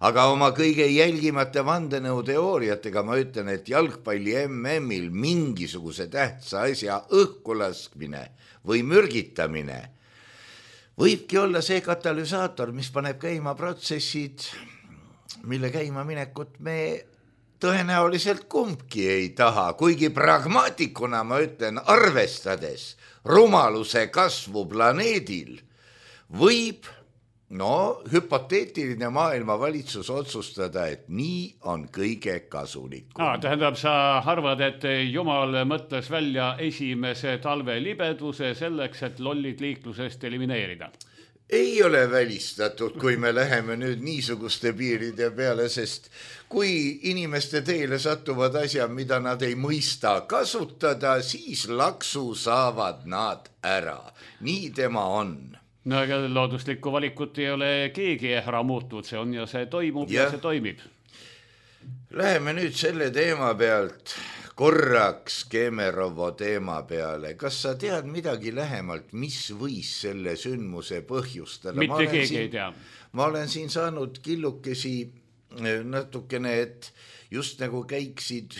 Aga oma kõige jälgimata vandenõuteooriatega ma ütlen, et jalgpalli M M-il mingisuguse tähtsa asja õhkulaskmine või mürgitamine võibki olla see katalüsaator, mis paneb käima protsessid, mille käima minekut me tõenäoliselt kumbki ei taha, kuigi pragmaatikuna ma ütlen, arvestades rumaluse kasvu planeedil, võib, no, hüpoteetiline maailma valitsus otsustada, et nii on kõige kasulikum. Ah, tähendab, sa arvad, et Jumal mõtles välja esimese talve libeduse selleks, et lollid liiklusest elimineerida? Ei ole välistatud, kui me läheme nüüd niisuguste piiride peale, sest kui inimeste teele satuvad asja, mida nad ei mõista kasutada, siis laksu saavad nad ära. Nii tema on. No aga looduslikku valikut ei ole keegi ära muutnud, see on ja see toimub ja, ja see toimib. Läheme nüüd selle teema pealt korraks Kemerovo teema peale. Kas sa tead midagi lähemalt, mis võis selle sündmuse põhjustada? Mitte keegi siin, ei tea. Ma olen siin saanud killukesi natukene, et just nagu käiksid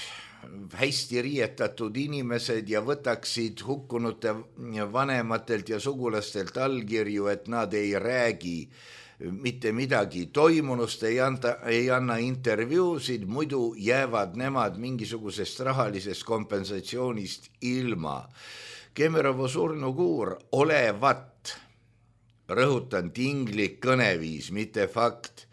hästi riietatud inimesed ja võtaksid hukkunute vanematelt ja sugulastelt allkirju, et nad ei räägi mitte midagi toimunust, ei, anta, ei anna intervjuusid, muidu jäävad nemad mingisugusest rahalisest kompensatsioonist ilma. Kemerovo surnukuur olevat, rõhutan tinglik kõneviis, mitte fakt,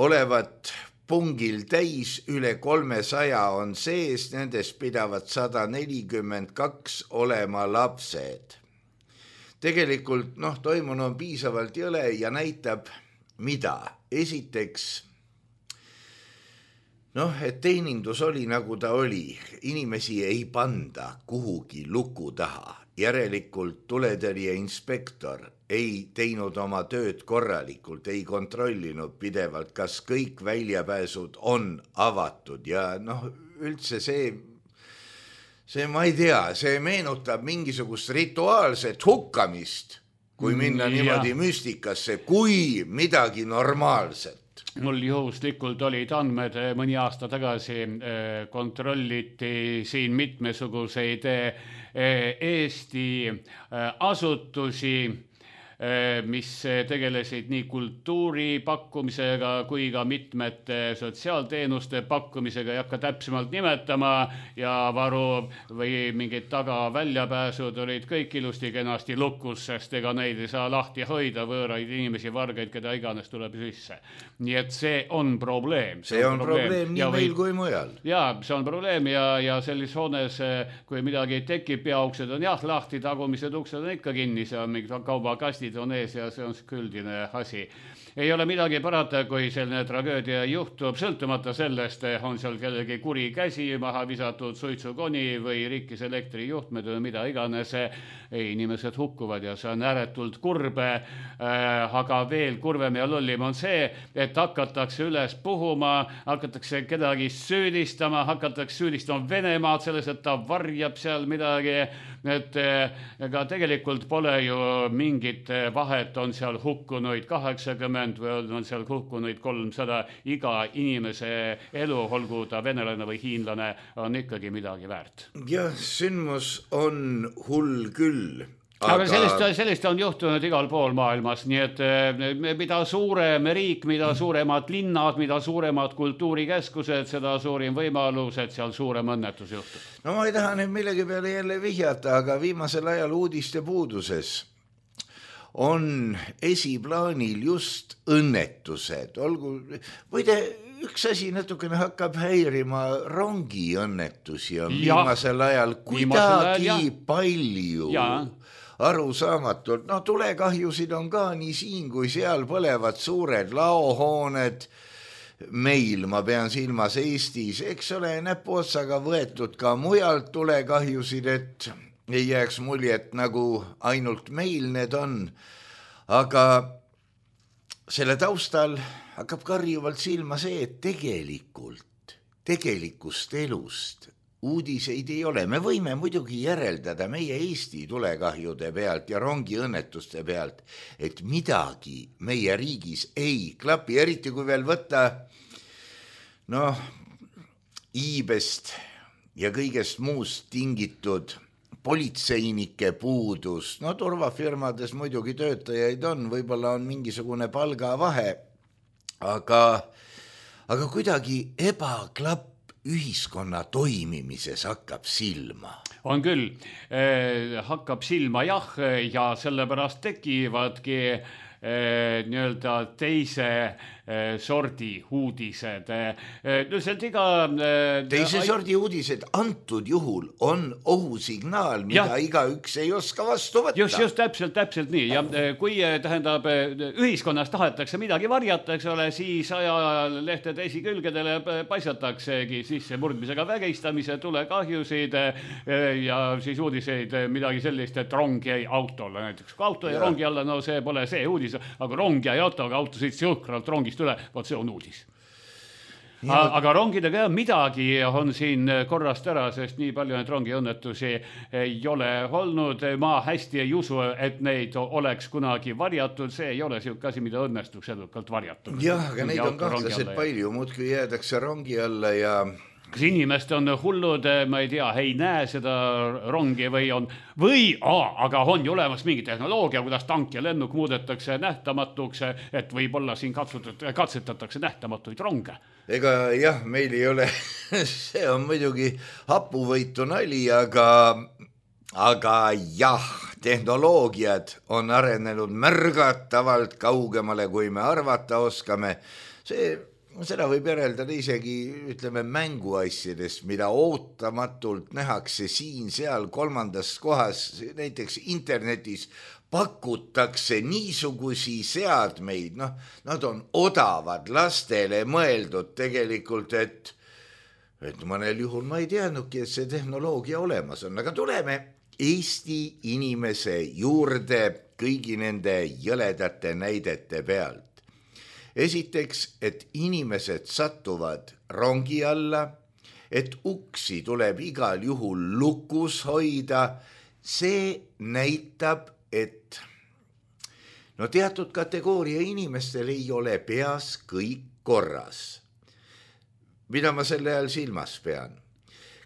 olevat pungil täis, üle kolmesaja on sees, nendest pidavad sada nelikümmend kaks olema lapsed. Tegelikult, noh, toimunu on piisavalt jõle ja näitab, mida. Esiteks, noh, et teenindus oli nagu ta oli. Inimesi ei panda kuhugi luku taha. Järelikult tuletõrje inspektor ei teinud oma tööd korralikult, ei kontrollinud pidevalt, kas kõik väljapääsud on avatud ja noh, üldse see See ma ei tea, see meenutab mingisugust rituaalset hukkamist, kui minna mm, niimoodi ja. müstikasse, kui midagi normaalset. Mul juhuslikult olid andmed mõni aasta tagasi, kontrolliti siin mitmesuguseid Eesti asutusi, mis tegelesid nii kultuuri pakkumisega kui ka mitmete sotsiaalteenuste pakkumisega, ei hakka täpsemalt nimetama ja varu või mingid taga väljapääsud olid kõik ilusti kenasti lukus, sest ega neid ei saa lahti hoida, võõraid inimesi, vargaid, keda iganes tuleb sisse. Nii et see on probleem. See, see on, on probleem, probleem nii ja meil või... kui mujal. Jaa, see on probleem ja, ja sellis hoones, kui midagi tekib, peauksed on jah lahti, tagumised uksed on ikka kinni, see on mingid kaubakastid on ees ja see on üldine asi. ei ole midagi parata, kui selline tragöödia juhtub, sõltumata sellest, on seal kellegi kuri käsi, maha visatud suitsukoni või rikkis elektrijuhtmed või mida iganes, inimesed hukkuvad ja see on ääretult kurbe, aga veel kurvem ja lollim on see, et hakatakse üles puhuma, hakatakse kedagi süüdistama, hakatakse süüdistama Venemaad selles, et ta varjab seal midagi, et ega tegelikult pole ju mingit vahet, on seal hukkunuid kaheksakümmend või on seal hukkunuid kolmsada, iga inimese elu, olgu ta venelane või hiinlane, on ikkagi midagi väärt. Jah, sündmus on hull küll. Aga, aga sellist, sellist on juhtunud igal pool maailmas, nii et mida suurem riik, mida suuremad linnad, mida suuremad kultuurikeskused, seda suurim võimalus, et seal suurem õnnetus juhtub. No ma ei taha nüüd millegi peale jälle vihjata, aga viimasel ajal uudiste puuduses on esiplaanil just õnnetused. Olgu, võide üks asi natukene hakkab häirima, rongiõnnetusi on ja, viimasel ajal kuidagi ajal, palju ja. Arusaamatult. No tulekahjusid on ka nii siin kui seal, põlevad suured laohooned. Meil, ma pean silmas Eestis, eks ole, näpuotsaga võetud ka mujalt tulekahjusid, et ei jääks muljet, nagu ainult meil need on. Aga selle taustal hakkab karjuvalt silma see, et tegelikult, tegelikust elust uudiseid ei ole. Me võime muidugi järeldada meie Eesti tulekahjude pealt ja rongiõnnetuste pealt, et midagi meie riigis ei klapi, eriti kui veel võtta noh, iibest ja kõigest muust tingitud politseinike puudus. No turvafirmades muidugi töötajaid on, võib-olla on mingisugune palgavahe, aga, aga kuidagi ebaklapp ühiskonna toimimises hakkab silma. On küll, eh, hakkab silma jah, ja sellepärast tekivadki eh, nii-öelda teise eh, sordi uudised. Eh, Nüüselt iga... Eh, teise sordi uudised antud juhul on ohusignaal, mida ja. Igaüks ei oska vastu võtta. Just, just täpselt, täpselt nii. Ja kui tähendab, ühiskonnas tahetakse midagi varjata, eks ole, siis ajalehtede esikülgedele paisataksegi sisse murdmisega vägistamise, tulekahjusid ja siis uudiseid midagi sellist, et rong jäi autole näiteks. Kui auto jäi rongi alla, no see pole see uudis, aga rong jäi autoga, auto sõitis jõhkralt rongist üle, võt see on uudis. Ja. Aga rongidega midagi on siin korrast ära, sest nii palju neid rongiõnnetusi ei ole olnud. Ma hästi ei usu, et neid oleks kunagi varjatud. See ei ole siuke asi, mida õnnestuks edukalt varjatud. Jah, aga neid on kahtlaselt palju. Muudkui jäädakse rongi alla ja... Kas inimest on hullud, ma ei tea, ei näe seda rongi või on, või, aa, aga on ju olemas mingi tehnoloogia, kuidas tank ja lennuk muudetakse nähtamatuks, et võib-olla siin katsetatakse nähtamatuid ronge. Ega jah, meil ei ole, see on muidugi hapuvõitu nali, aga, aga jah, tehnoloogiad on arenenud märgatavalt kaugemale, kui me arvata oskame. See... Seda võib järeldada isegi, ütleme, mänguasjadest, mida ootamatult nähakse siin, seal, kolmandas kohas, näiteks internetis pakutakse niisugusi seadmeid, noh, nad on odavad lastele mõeldud tegelikult, et, et mõnel juhul ma ei teadnudki, et see tehnoloogia olemas on, aga tuleme Eesti inimese juurde kõigi nende jõledate näidete pealt. Esiteks, et inimesed satuvad rongi alla, et uksi tuleb igal juhul lukus hoida, see näitab, et no teatud kategooria inimestel ei ole peas kõik korras. Mida ma selle ajal silmas pean?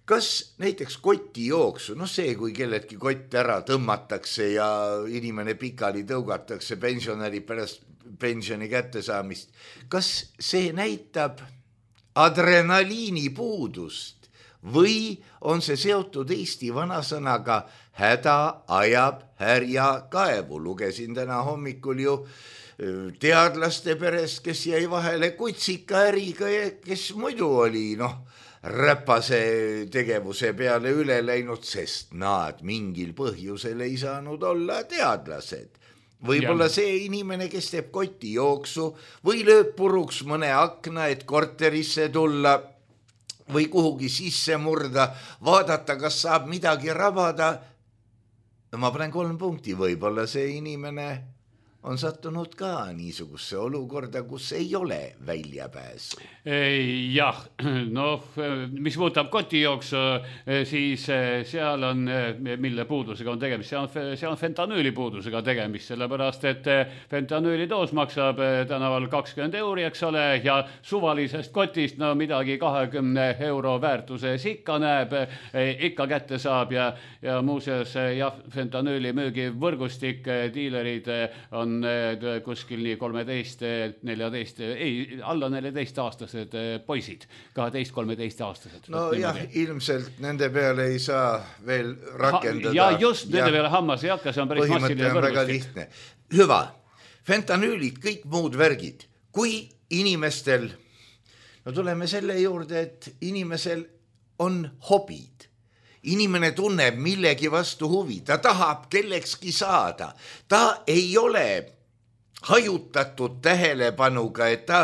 Kas näiteks koti jooksu, no see, kui kelledki kott ära tõmmatakse ja inimene pikali tõugatakse pensionäri pärast pensioni kättesaamist, kas see näitab adrenaliini puudust või on see seotud Eesti vanasõnaga häda ajab härja kaevu? Lugesin täna hommikul ju teadlaste perest, kes jäi vahele kutsika äriga, kes muidu oli noh, räpase tegevuse peale üle läinud, sest nad mingil põhjusel ei saanud olla teadlased. võib-olla ja. see inimene, kes teeb kotijooksu või lööb puruks mõne akna, et korterisse tulla või kuhugi sisse murda, vaadata, kas saab midagi rabada. Ma panen kolm punkti, võib-olla see inimene on sattunud ka niisuguse olukorda, kus ei ole väljapääsu. Jah, noh, mis puudutab kotijooksu, siis seal on, mille puudusega on tegemist, see on, see on fentanüüli puudusega tegemist, sellepärast, et fentanüüli doos maksab tänaval kakskümmend euri, eks ole, ja suvalisest kotist no midagi kahekümne euro väärtuses ikka näeb, ikka kätte saab ja, ja muuseas, jah, fentanüüli müügi võrgustik, diilerid on on kuskil nii kolmeteist, neljateist, ei, alla neljateist aastased poisid, kaheteist kolmeteist aastased. No jah, ilmselt nende peale ei saa veel rakendada. Ja just nende ja peale hammas ei hakka, see on päris massiline võrgustik. Hüva, fentanüülid, kõik muud värgid, kui inimestel, no tuleme selle juurde, et inimesel on hobid. Inimene tunneb millegi vastu huvi, ta tahab kellekski saada, ta ei ole hajutatud tähelepanuga, et ta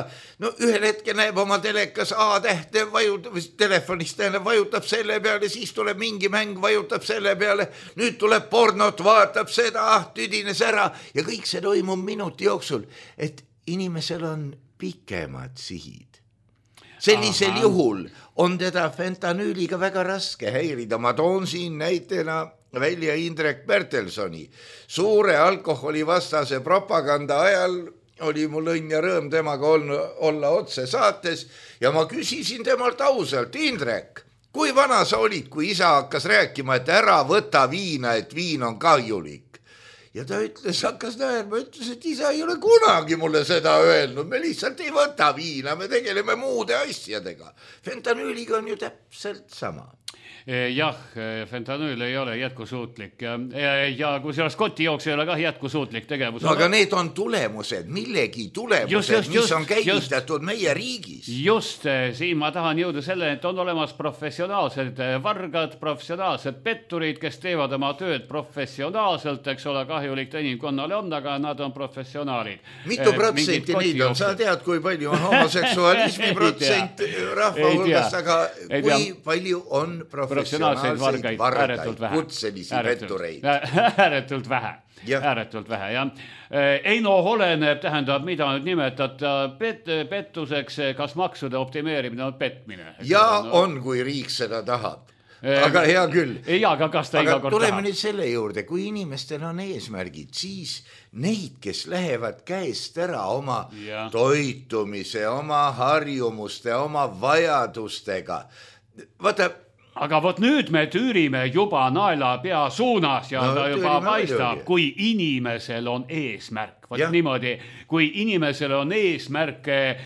no ühel hetkel näeb oma telekas A-tähte, vajutab, telefonist tähendab, vajutab selle peale, siis tuleb mingi mäng, vajutab selle peale, nüüd tuleb pornot, vaatab seda, ah, tüdines ära ja kõik see toimub minuti jooksul, et inimesel on pikemad sihid. Sellisel Aha. juhul on teda fentanüüliga väga raske häirida. Ma toon siin näitena välja Indrek Bertelsoni. Suure alkoholivastase propaganda ajal oli mul õnn ja rõõm temaga olla otse saates ja ma küsisin temalt ausalt, Indrek, kui vana sa olid, kui isa hakkas rääkima, et ära võta viina, et viin on kahjulik? Ja ta ütles, hakkas näerma, ütles, et isa ei ole kunagi mulle seda öelnud, me lihtsalt ei võta viina, me tegeleme muude asjadega. Fentanüüliga on ju täpselt sama. Jah, fentanüül ei ole jätkusuutlik ja, ja, ja kui selles kotijooksu ei ole ka jätkusuutlik tegevus. No, aga need on tulemused, millegi tulemused, just, just, mis just, on käivitatud just, meie riigis. Just, siin ma tahan jõuda selle, et on olemas professionaalsed vargad, professionaalsed petturid, kes teevad oma tööd professionaalselt, eks ole, kahjulik inimkonnale on, aga nad on professionaalid. Mitu protsenti neid on? Sa tead, kui palju on homoseksualismi protsent rahva hulgast, aga kui palju on professionaalid? professionaalseid vargaid, ääretult vähe. Kutselisi pettureid. Ääretult vähe. Ja. Ääretult vähe, jah. Eino oleneb, tähendab, mida nüüd nimetada pet, pettuseks, kas maksude optimeerimine on petmine. Ja on, kui riik seda tahab. Aga hea küll. Ei, aga kas ta iga kord tuleme tahab? Nüüd selle juurde, kui inimestel on eesmärgid, siis neid, kes lähevad käest ära oma ja. toitumise, oma harjumuste, oma vajadustega. Vaata, aga vot nüüd me tüürime juba naela pea suunas ja no, ta juba paistab, kui inimesel on eesmärk. Vot ja. niimoodi, kui inimesel on eesmärk eh,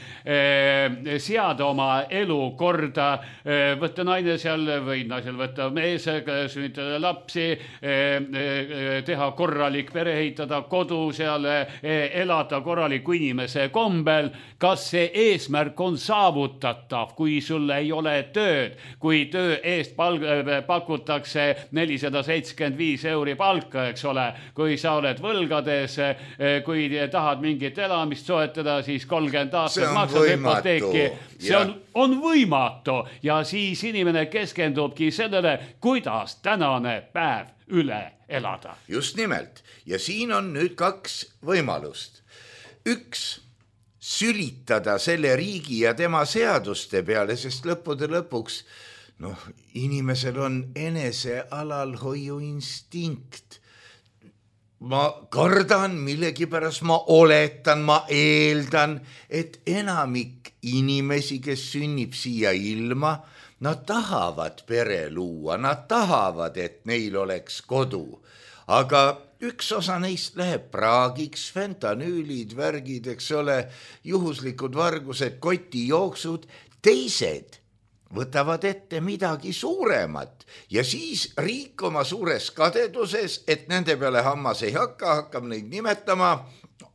seada oma elu korda, eh, võtta naine seal või naisel võtta mees, sünnitada lapsi, eh, eh, teha korralik pere, ehitada kodu seal, eh, elada korraliku inimese kombel. Kas see eesmärk on saavutatav, kui sul ei ole tööd, kui töö eest palk, pakutakse nelisada seitsekümmend viis euri palka, eks ole, kui sa oled võlgades, eh, kui tahad mingit elamist soetada, siis kolmkümmend aastat maksab hüpoteeki. See on, on võimatu ja siis inimene keskendubki sellele, kuidas tänane päev üle elada. Just nimelt. Ja siin on nüüd kaks võimalust. Üks, sülitada selle riigi ja tema seaduste peale, sest lõppude lõpuks noh, inimesel on enese alalhoiu instinkt. Ma kardan millegipärast, ma oletan, ma eeldan, et enamik inimesi, kes sünnib siia ilma, nad tahavad pere luua, nad tahavad, et neil oleks kodu. Aga üks osa neist läheb praagiks, fentanüülid, värgid, eks ole, juhuslikud vargused, kotijooksud, teised võtavad ette midagi suuremat ja siis riik oma suures kadeduses, et nende peale hammas ei hakka, hakkab neid nimetama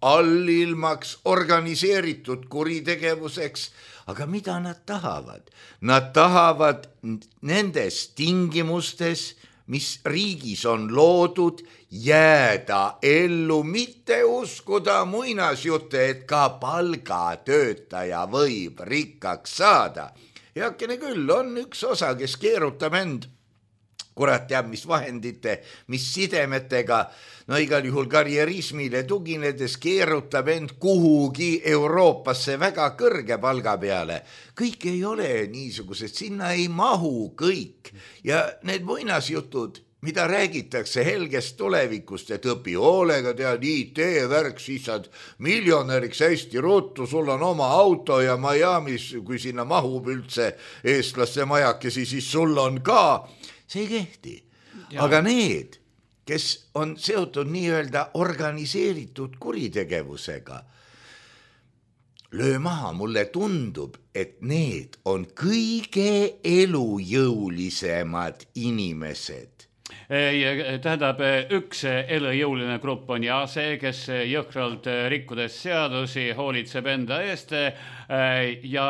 allilmaks, organiseeritud kuritegevuseks. Aga mida nad tahavad? Nad tahavad nendes tingimustes, mis riigis on loodud, jääda ellu, mitte uskuda muinasjutte, et ka palgatöötaja võib rikkaks saada. Heakene küll, on üks osa, kes keerutab end, kurat teab, mis vahendite, mis sidemetega, no igal juhul karjerismile tuginedes keerutab end kuhugi Euroopasse väga kõrge palga peale. Kõik ei ole niisugused, sinna ei mahu kõik. Ja need muinasjutud, mida räägitakse helgest tulevikust, et õpi hoolega, tead I T-värk, siis saad miljonäriks hästi ruttu, sul on oma auto ja Miamis, kui sinna mahub üldse eestlaste majakesi, siis sul on ka. See ei kehti. Ja. Aga need, kes on seotud nii-öelda organiseeritud kuritegevusega, löö maha, mulle tundub, et need on kõige elujõulisemad inimesed. Tähendab, üks elujõuline grupp on ja see, kes jõhkralt rikkudes seadusi hoolitseb enda eest ja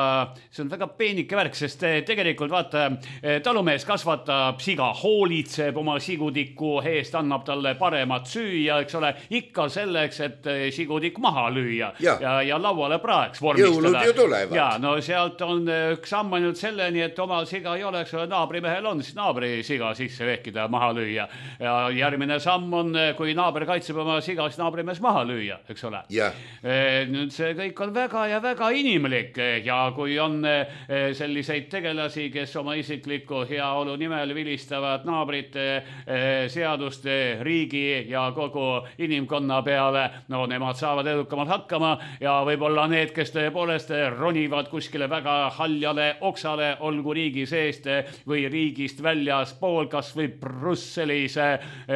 see on väga peenike värk, sest tegelikult vaata, talumees kasvatab siga, hoolitseb oma sigutiku eest, annab talle paremat süüa, eks ole, ikka selleks, et sigutik maha lüüa ja, ja, ja lauale praeks vormistada. Jõulud ju tulevad. Ja, no sealt on üks samm ainult selleni, et omal siga ei ole, eks ole, naabrimehel on, siis naabri siga sisse vehkida maha lüüa. Ja järgmine samm on, kui naaber kaitseb oma siga, siis naabrimees maha lüüa, eks ole. Yeah. Nüüd see kõik on väga ja väga inimlik ja kui on selliseid tegelasi, kes oma isikliku heaolu nimel vilistavad naabrite, seaduste, riigi ja kogu inimkonna peale, no nemad saavad edukamalt hakkama ja võib-olla need, kes tõepoolest ronivad kuskile väga haljale oksale, olgu riigi seest või riigist väljas pool, kas või Brüsselis,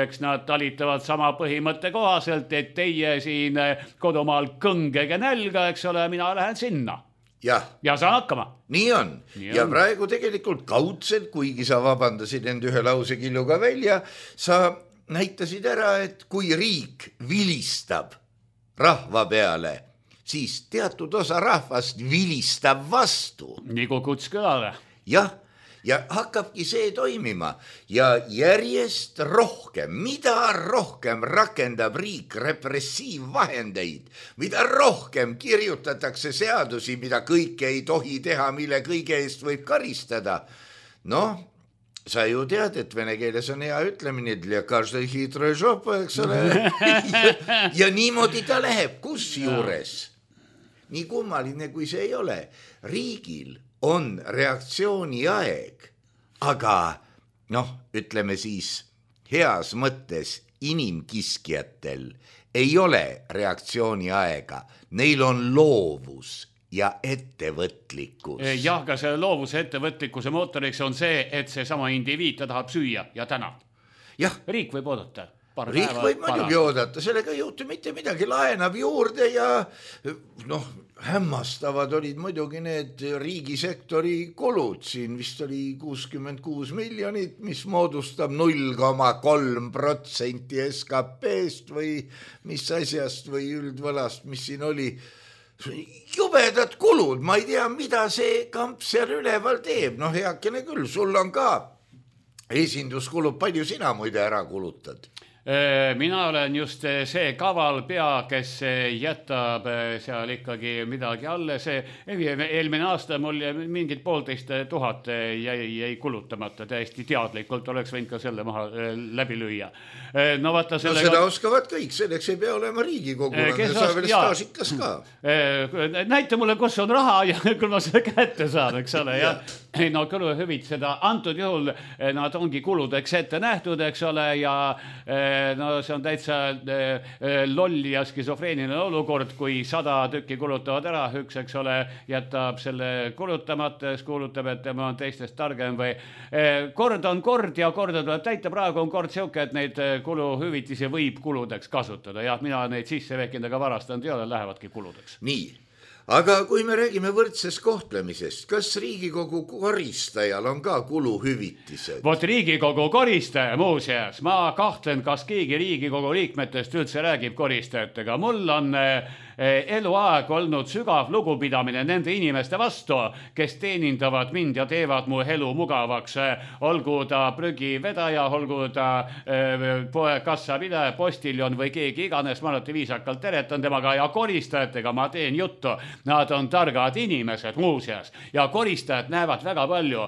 eks nad talitavad sama põhimõtte kohaselt, et teie siin kodumaal kõngege nälga, eks ole, mina lähen sinna. Ja, ja saan hakkama. Nii on. Nii on. Ja praegu tegelikult kaudselt, kuigi sa vabandasid end ühe lausekilluga välja, sa näitasid ära, et kui riik vilistab rahva peale, siis teatud osa rahvast vilistab vastu. Nii kui kuts kõlale. Jah. Ja hakkabki see toimima ja järjest rohkem, mida rohkem rakendab riik repressiivvahendeid, mida rohkem kirjutatakse seadusi, mida kõike ei tohi teha, mille kõige eest võib karistada. Noh, sa ju tead, et vene keeles on hea ütlemine, для каждой хитрой жопы, eks ole. ja, ja niimoodi ta läheb, kus juures. Nii kummaline, kui see ei ole. Riigil on reaktsiooni aeg, aga noh, ütleme siis heas mõttes inimkiskjatel ei ole reaktsiooni aega, neil on loovus ja ettevõtlikkus. Jah, aga see loovuse ettevõtlikkuse mootoriks on see, et see sama indiviid ta tahab süüa ja täna. Jah. Riik võib oodata. Riik võib muidugi oodata, sellega ei juhtu mitte midagi, laenab juurde ja noh, hämmastavad olid muidugi need riigisektori kulud, siin vist oli kuuskümmend kuus miljonit, mis moodustab null koma kolm protsenti S K P-st või mis asjast või üldvõlast, mis siin oli. Jubedad kulud, ma ei tea, mida see kamp seal üleval teeb, noh heakene küll, sul on ka esinduskulud, palju sina muide ära kulutad? Mina olen just see kaval pea, kes jätab seal ikkagi midagi alle. See eelmine aasta mul mingid poolteist tuhat jäi, jäi kulutamata, täiesti teadlikult oleks võinud ka selle maha läbi lüüa. No, vaata, sellega... no seda oskavad kõik, selleks ei pea olema Riigikogulane, ja sa veel staažikas ka. Näita mulle, kus on raha ja küll ma seda kätte saan, eks ole. Ja, no kuluhüvit seda antud juhul, nad ongi kuludeks ette nähtud, eks ole, ja no see on täitsa lolli ja skisofreeniline olukord, kui sada tükki kulutavad ära, üks, eks ole, jätab selle kulutamata, kuulutab, et tema on teistest targem või kord on kord ja korda tuleb täita, praegu on kord siuke, et neid kuluhüvitisi võib kuludeks kasutada ja mina neid sisse vehkinud, aga varastanud ei ole, lähevadki kuludeks. Nii. Aga kui me räägime võrdsest kohtlemisest, kas Riigikogu koristajal on ka kuluhüvitised? Vot Riigikogu koristaja muuseas, ma kahtlen, kas keegi Riigikogu liikmetest üldse räägib koristajatega. Mul on eluaeg olnud sügav lugupidamine nende inimeste vastu, kes teenindavad mind ja teevad mu elu mugavaks. Olgu ta prügivedaja, olgu ta poe kassapidaja, postiljon või keegi iganes, ma alati viisakalt teretan temaga ja koristajatega ma teen juttu. Nad on targad inimesed muuseas ja koristajad näevad väga palju,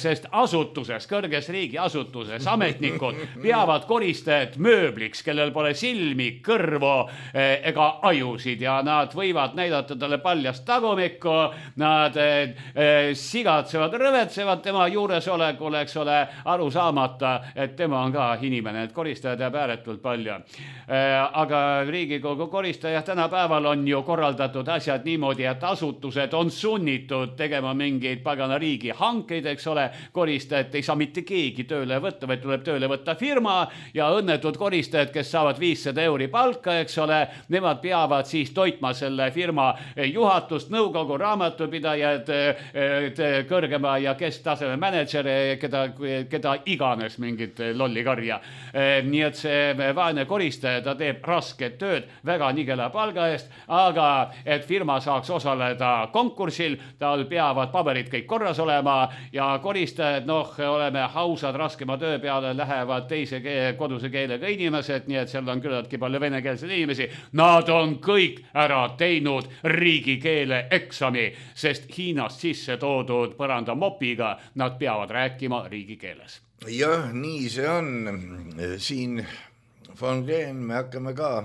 sest asutuses, kõrges riigi asutuses ametnikud peavad koristajad mööbliks, kellel pole silmi, kõrvu ega ajusid ja nad võivad näidata talle paljast tagumikku, nad sigatsevad, rõvetsevad tema juuresolekul, eks ole, aru saamata, et tema on ka inimene, et koristajad jääb ääretult palju. Aga Riigikogu koristaja tänapäeval on ju korraldatud asjad niimoodi, et asutused on sunnitud tegema mingeid pagana riigi hankeid, eks ole, koristajat ei saa mitte keegi tööle võtta, vaid tuleb tööle võtta firma ja õnnetud koristajad, kes saavad viissada euri palka, eks ole, nemad peavad siis toitma selle firma juhatust, nõukogu, raamatupidajad, kõrgema ja kesktaseme manager, keda, keda iganes mingit lollikarja. Nii et see vaene koristaja, ta teeb rasket tööd väga nigela palga eest, aga et firma saaks osaleda konkursil, tal peavad paberid kõik korras olema ja koristajad, noh, oleme hausad, raskema töö peale lähevad teise keele, koduse keelega inimesed, nii et seal on küllaltki palju venekeelseid inimesi. Nad on kõik ära teinud riigikeele eksami, sest Hiinast sisse toodud põranda mopiga nad peavad rääkima riigikeeles. Jah, nii see on. Siin von Rehn me hakkame ka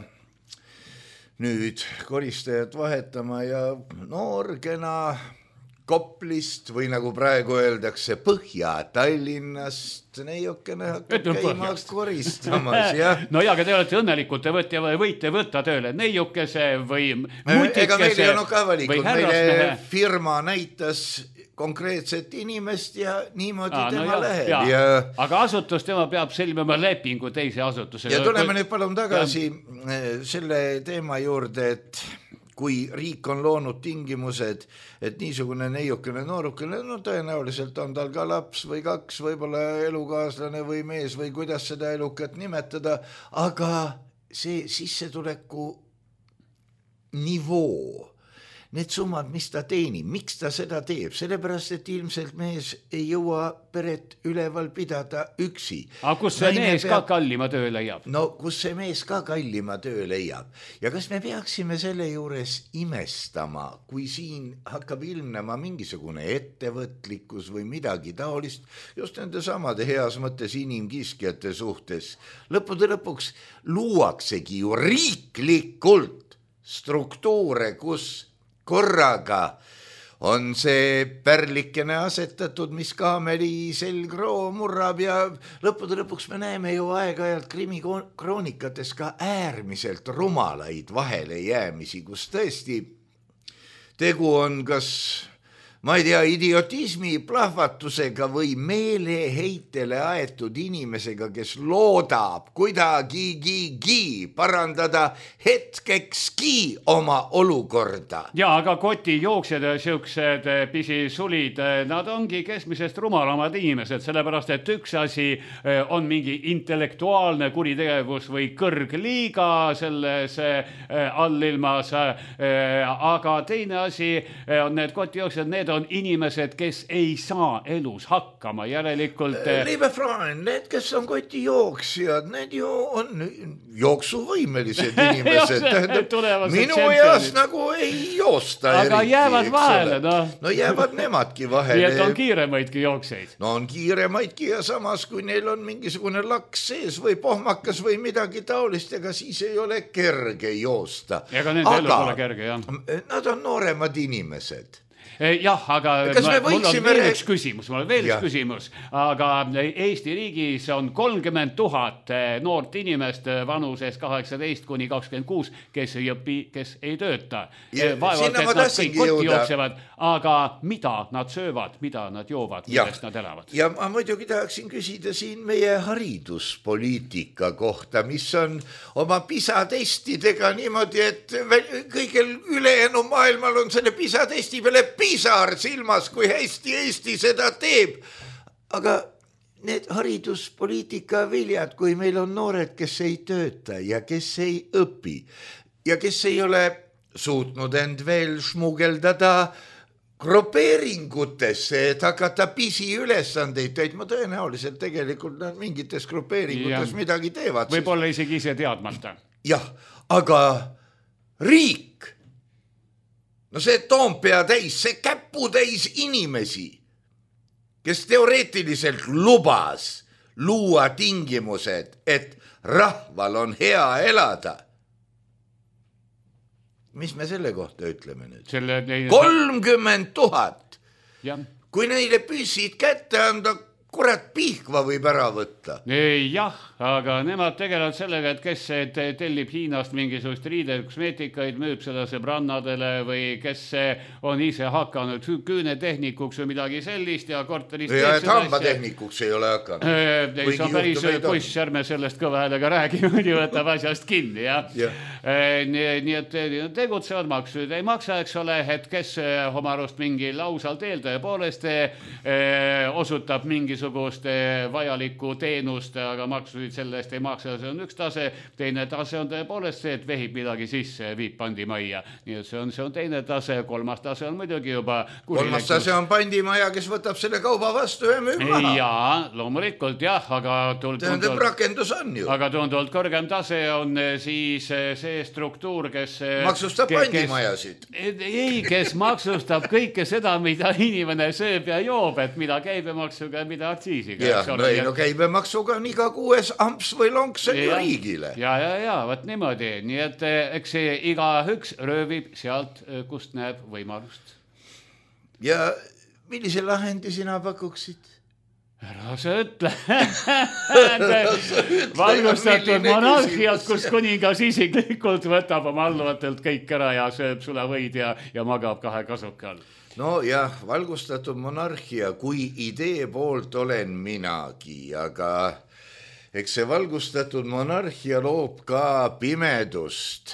nüüd koristajat vahetama ja noorgena Koplist või nagu praegu öeldakse Põhja-Tallinnast neiukene hakkab käima koristamas. Ja. No ja, aga te olete õnnelikud, te võtte, võite võtta tööle neiukese või mutikese. Ega meil ei olnud ka valikud, meile firma näitas konkreetset inimest ja niimoodi Aa, tema no läheb. Ja. Ja... Aga asutus tema peab sõlmima lepingu teise asutuse. Ja tuleme nüüd palun tagasi ja... selle teema juurde, et kui riik on loonud tingimused, et niisugune neiukene noorukene, no tõenäoliselt on tal ka laps või kaks, võib-olla elukaaslane või mees või kuidas seda elukat nimetada, aga see sissetuleku nivoo, need summad, mis ta teenib, miks ta seda teeb, sellepärast, et ilmselt mees ei jõua peret üleval pidada üksi. Aga kus see Naine mees peab... ka kallima töö leiab? No kus see mees ka kallima töö leiab. Ja kas me peaksime selle juures imestama, kui siin hakkab ilmnema mingisugune ettevõtlikkus või midagi taolist, just nende samade heas mõttes inimkiskjate suhtes. Lõppude lõpuks luuaksegi ju riiklikult struktuure, kus korraga on see pärlikene asetatud, mis kaameli selgroo murrab ja lõppude lõpuks me näeme ju aeg-ajalt krimikroonikatest ka äärmiselt rumalaid vahelejäämisi, kus tõesti tegu on kas, ma ei tea, idiotismi plahvatusega või meeleheitele aetud inimesega, kes loodab kuidagigi parandada hetkekski oma olukorda. Ja, aga kotijooksjad ja siuksed pisisulid, nad ongi keskmisest rumalamad inimesed, sellepärast, et üks asi on mingi intellektuaalne kuritegevus või kõrgliiga selles allilmas, aga teine asi on need kotijooksjad, need on inimesed, kes ei saa elus hakkama, järelikult... Liebe Freund, need, kes on kotijooksjad, need ju on jooksuvõimelised inimesed. Minu eas nagu ei joosta eriti. Aga jäävad vahele, no. No jäävad nemadki vahele. Nii et on kiiremaidki jookseid. No on kiiremaidki ja samas, kui neil on mingisugune laks sees või pohmakas või midagi taolist, ega siis ei ole kerge joosta. Ega nende elu pole kerge, jah. Nad on nooremad inimesed. Jah, aga ma, mul on veel üks küsimus, mul on veel üks küsimus, aga Eesti riigis on kolmkümmend tuhat noort inimest vanuses kaheksateist kuni kakskümmend kuus, kes ei õpi, kes ei tööta. Vaevalt, et nad kõik kotti jooksevad, aga mida nad söövad, mida nad joovad, millest nad elavad? Ja ma muidugi tahaksin küsida siin meie hariduspoliitika kohta, mis on oma PISA-testidega niimoodi, et kõigil ülejäänu maailmal on selle PISA-testi peale pisar silmas, kui hästi Eesti seda teeb. Aga need hariduspoliitika viljad, kui meil on noored, kes ei tööta ja kes ei õpi ja kes ei ole suutnud end veel šmugeldada grupeeringutesse, et hakata pisiülesandeid täitma, tõenäoliselt tegelikult nad mingites grupeeringutes ja midagi teevad. Võib-olla isegi ise teadmata. Jah, aga riik, no see Toompea täis, see käputäis inimesi, kes teoreetiliselt lubas luua tingimused, et rahval on hea elada. Mis me selle kohta ütleme nüüd? Selle... kolmkümmend tuhat. Ja. Kui neile püssid kätte anda, kurat pihkva võib ära võtta. Jah, aga nemad tegelevad sellega, et kes tellib Hiinast mingisugust riided, kosmeetikaid, müüb seda sõbrannadele või kes on ise hakanud küünetehnikuks või midagi sellist ja korteris... Ja et hambatehnikuks ei ole hakanud. Ei, see on päris poiss, ärme sellest kõva häälega räägime, nii võtab asjast kinni. Ja? Ja. Nii, nii et tegutsevad maksud ei maksa, eks ole, et kes oma arust mingi lausal teel tõepoolest osutab mingisugust vajalikku teenust, aga maksusid sellest ei maksa, see on üks tase, teine tase on tõepoolest see, et vehib midagi sisse, viib pandimajja, nii et see on, see on teine tase, kolmas tase on muidugi juba kolmas tase on pandimaja, kes võtab selle kauba vastu ja müüb maha. Jaa, loomulikult jah, aga tunduvalt, rakendus on ju. Aga tunduvalt kõrgem tase on siis see struktuur, kes maksustab pandimajasid. Ei, kes maksustab kõike seda, mida inimene sööb ja joob, et mida käibemaksuga ja mida aktsiisiga. Ja, no, ei, no käibemaksuga on iga kuues amps või lonks on ju riigile. Ja, ja, ja, võt niimoodi. Nii et eks see iga üks röövib sealt, kust näeb võimalust. Ja millise lahendi sina pakuksid? Ära sa ütle. Valgustatud monarhiat, kus kuningas isiklikult võtab oma alluvatelt kõik ära ja sööb sulavõid ja, ja magab kahe kasuka all. No jah, valgustatud monarhia, kui idee poolt olen minagi, aga eks see valgustatud monarhia loob ka pimedust.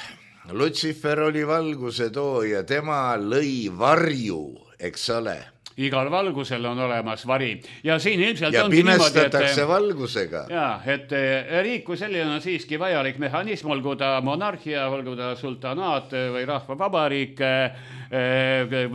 Lutsifer oli valguse tooja, tema lõi varju, eks ole. Igal valgusel on olemas vari. Ja siin ilmselt ja ongi niimoodi, et... pimestatakse valgusega. Ja, et riik kui selline on siiski vajalik mehhanism, olgu ta monarhia, olgu ta sultanaat või rahvavabariik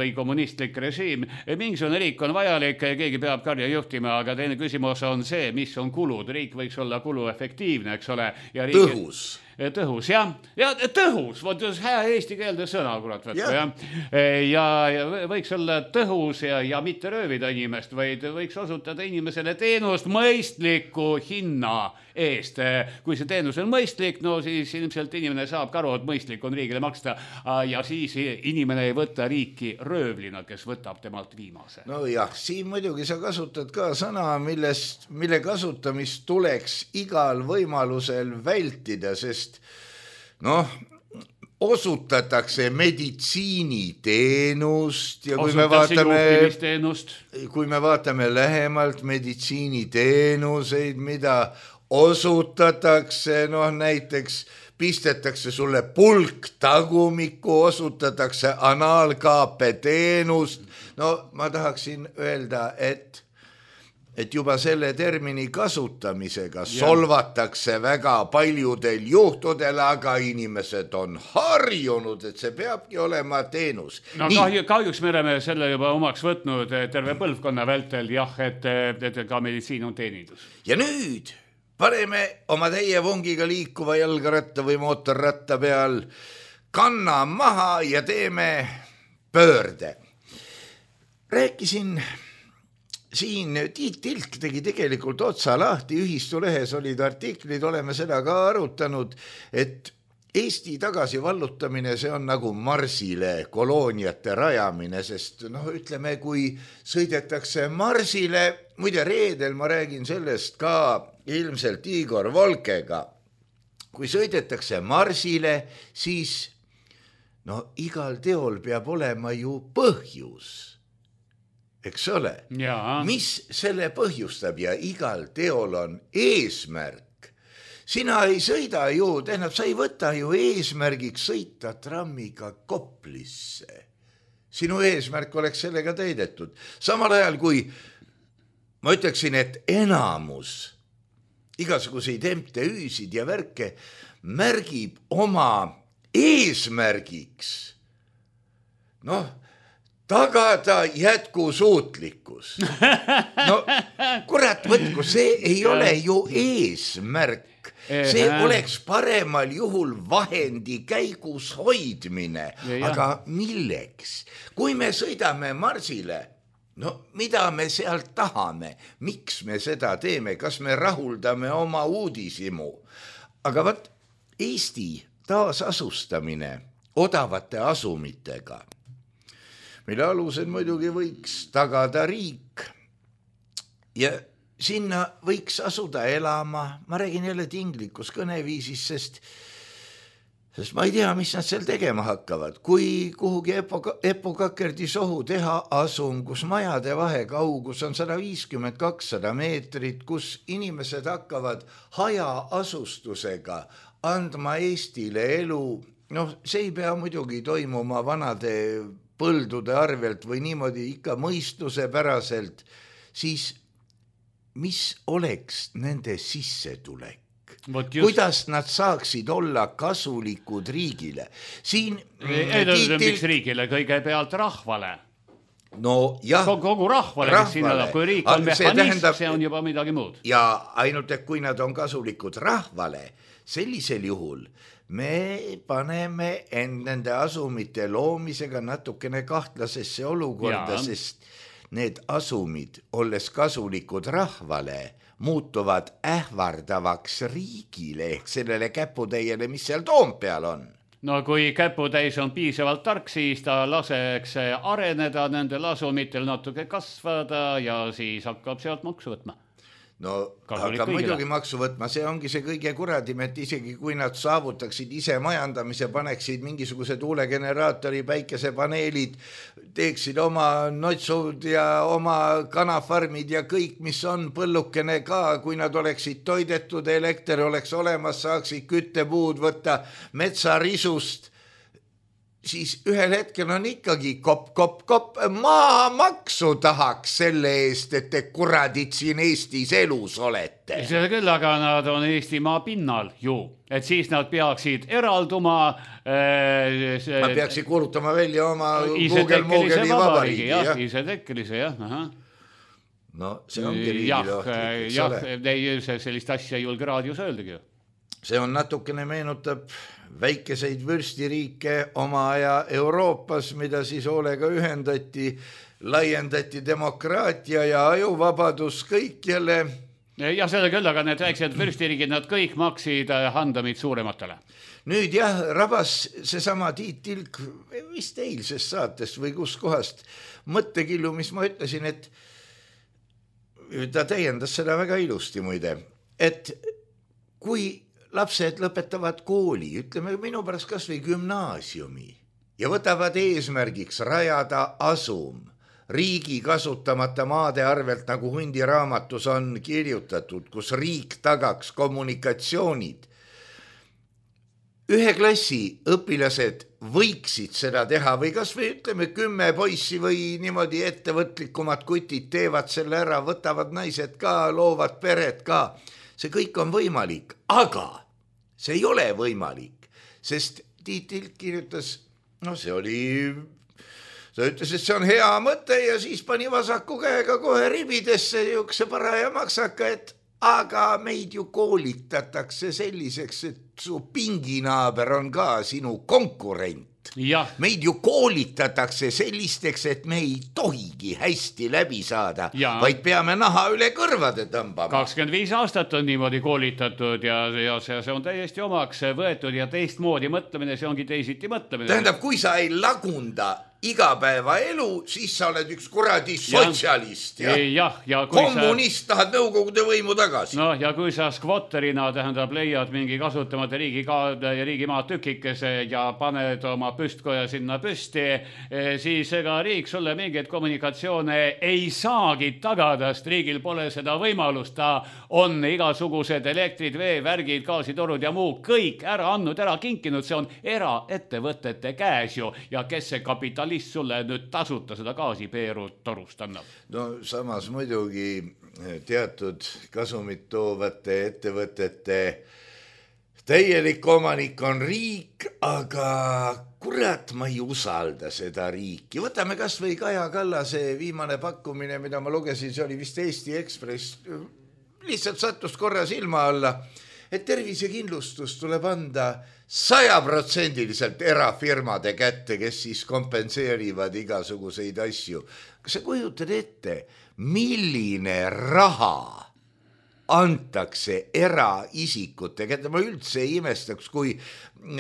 või kommunistlik režiim. Mingisugune riik on vajalik, keegi peab karja juhtima, aga teine küsimus on see, mis on kulud. Riik võiks olla kuluefektiivne, eks ole. Ja riik... Tõhus. Tõhus, jah. Ja tõhus, vot hea eesti keelde sõna, kurat, võtku, jah. Ja, ja võiks olla tõhus ja, ja mitte röövida inimest, vaid võiks osutada inimesele teenust mõistliku hinna eest. Kui see teenus on mõistlik, no siis ilmselt inimene saab karu, et mõistlik on riigile maksta ja siis inimene ei võta riiki röövlina, kes võtab temalt viimase. No jah, siin muidugi sa kasutad ka sõna, millest, mille kasutamist tuleks igal võimalusel vältida, sest noh, osutatakse meditsiiniteenust ja kui me vaatame, kui me vaatame lähemalt meditsiiniteenuseid, mida osutatakse, noh näiteks pistetakse sulle pulk tagumikku, osutatakse anaalkaape teenust, no ma tahaksin öelda, et et juba selle termini kasutamisega ja. solvatakse väga paljudel juhtudel, aga inimesed on harjunud, et see peabki olema teenus. No kahju, kahjuks me oleme selle juba omaks võtnud terve põlvkonna vältel, jah, et, et ka meditsiin on teenindus. Ja nüüd paneme oma täie vongiga liikuva jalgaratta või mootorratta peal kanna maha ja teeme pöörde. Rääkisin... Siin Tiit Tilk tegi tegelikult otsa lahti, ühistulehes olid artiklid, oleme seda ka arutanud, et Eesti tagasi vallutamine, see on nagu Marsile kolooniate rajamine, sest noh, ütleme, kui sõidetakse Marsile, muide reedel ma räägin sellest ka ilmselt Igor Volkega, kui sõidetakse Marsile, siis no igal teol peab olema ju põhjus. Eks ole, ja. Mis selle põhjustab ja igal teol on eesmärk. Sina ei sõida ju, tähendab, sa ei võta ju eesmärgiks sõita trammiga Koplisse. Sinu eesmärk oleks sellega täidetud. Samal ajal kui ma ütleksin, et enamus igasuguseid M T Üsid ja värke märgib oma eesmärgiks noh, tagada jätkusuutlikkus. No kurat võtku, see ei ole ju eesmärk. See oleks paremal juhul vahendi käigus hoidmine, aga milleks? Kui me sõidame Marsile, no mida me sealt tahame? Miks me seda teeme? Kas me rahuldame oma uudisimu? Aga võt, Eesti taasasustamine odavate asumitega, mille alusel muidugi võiks tagada riik ja sinna võiks asuda elama, ma räägin jälle tinglikus kõneviisis, sest, sest ma ei tea, mis nad seal tegema hakkavad. Kui kuhugi Epo, Epo Kakerdi sohu teha asum, kus majade vahe kaugus on sada viiskümmend kakssada meetrit, kus inimesed hakkavad hajaasustusega andma Eestile elu, noh, see ei pea muidugi toimuma vanade põldude arvelt või niimoodi ikka mõistuse päraselt, siis mis oleks nende sissetulek? Kuidas nad saaksid olla kasulikud riigile? Siin ei tiitil... miks riigile? Kõigepealt rahvale. No jah. Kogu rahvale, rahvale. Kes sinna, kui riik on mehhanism, tähendab... see on juba midagi muud. Ja ainult, et kui nad on kasulikud rahvale, sellisel juhul me paneme end nende asumite loomisega natukene kahtlasesse olukorda, ja. Sest need asumid, olles kasulikud rahvale, muutuvad ähvardavaks riigile ehk sellele käputäiele, mis seal Toompeal on. No kui käputäis on piisavalt tark, siis ta laseks areneda nendel asumitel natuke kasvada ja siis hakkab sealt maksu võtma. No aga muidugi maksu võtma, see ongi see kõige kuradim, et isegi kui nad saavutaksid ise majandamise, paneksid mingisuguse tuulegeneraatori, päikesepaneelid, teeksid oma notsud ja oma kanafarmid ja kõik, mis on põllukene ka, kui nad oleksid toidetud, elekter oleks olemas, saaksid küttepuud võtta metsarisust, siis ühel hetkel on ikkagi kopp, kopp, kopp, maamaksu tahaks selle eest, et te kuradid siin Eestis elus olete. Seda küll, aga nad on Eestimaa pinnal ju, et siis nad peaksid eralduma. Äh, see... Ma peaksid kuulutama välja oma Google-Moogeli vabariigi. Jah, isetekkelise, jah. Aha. No see ongi riigilohtlik. Jah, jah, sellist asja ei julge raadios öeldagi. See on natukene meenutab väikeseid vürstiriike oma aja Euroopas, mida siis hoolega ühendati, laiendati demokraatia ja ajuvabadus kõik jälle. Ja seda küll, aga need väiksed vürstiriigid, nad kõik maksid handamid suurematele. Nüüd jah, rabas seesama Tiit Tilk vist eilsest saatest või kus kohast mõttekillu, mis ma ütlesin, et ta täiendas seda väga ilusti muide, et kui lapsed lõpetavad kooli, ütleme minu pärast kas või gümnaasiumi ja võtavad eesmärgiks rajada asum riigi kasutamata maade arvelt, nagu hundiraamatus on kirjutatud, kus riik tagaks kommunikatsioonid. Ühe klassi õpilased võiksid seda teha või kas või ütleme kümme poissi või niimoodi ettevõtlikumad kutid teevad selle ära, võtavad naised ka, loovad peret ka. See kõik on võimalik, aga see ei ole võimalik, sest Tiit Tilk kirjutas, no see oli, ta ütles, et see on hea mõte ja siis pani vasaku käega kohe ribidesse jukse paraja maksaka, et aga meid ju koolitatakse selliseks, et su pinginaaber on ka sinu konkurent. Ja. Meid ju koolitatakse sellisteks, et me ei tohigi hästi läbi saada, ja. Vaid peame naha üle kõrvade tõmbama. kakskümmend viis aastat on niimoodi koolitatud ja, ja see, see on täiesti omaks võetud ja teistmoodi mõtlemine, see ongi teisiti mõtlemine. Tähendab, kui sa ei lagunda igapäevaelu, siis sa oled üks kuradi sotsialist ja, ja, ja kommunist sa... tahad nõukogude võimu tagasi. No ja kui sa skvotterina tähendab leiad mingi kasutamata riigi ja riigimaa tükikese ja paned oma püstkoja sinna püsti, siis ega riik sulle mingeid kommunikatsioone ei saagi tagada, sest riigil pole seda võimalust, ta on igasugused elektrid, vee, värgid, gaasitorud ja muu kõik ära andnud, ära kinkinud, see on eraettevõtete käes ju ja kes see kapital sulle nüüd tasuta seda gaasipeeru torust annab. No samas muidugi teatud kasumit toovate ettevõtete täielik omanik on riik, aga kurat, ma ei usalda seda riiki. Võtame kas või Kaja Kallase viimane pakkumine, mida ma lugesin, see oli vist Eesti Ekspress, lihtsalt sattus korra silma alla, et tervisekindlustus tuleb anda sajaprotsendiliselt erafirmade kätte, kes siis kompenseerivad igasuguseid asju. Kas sa kujutad ette, milline raha antakse eraisikute kätte? Ma üldse ei imestaks, kui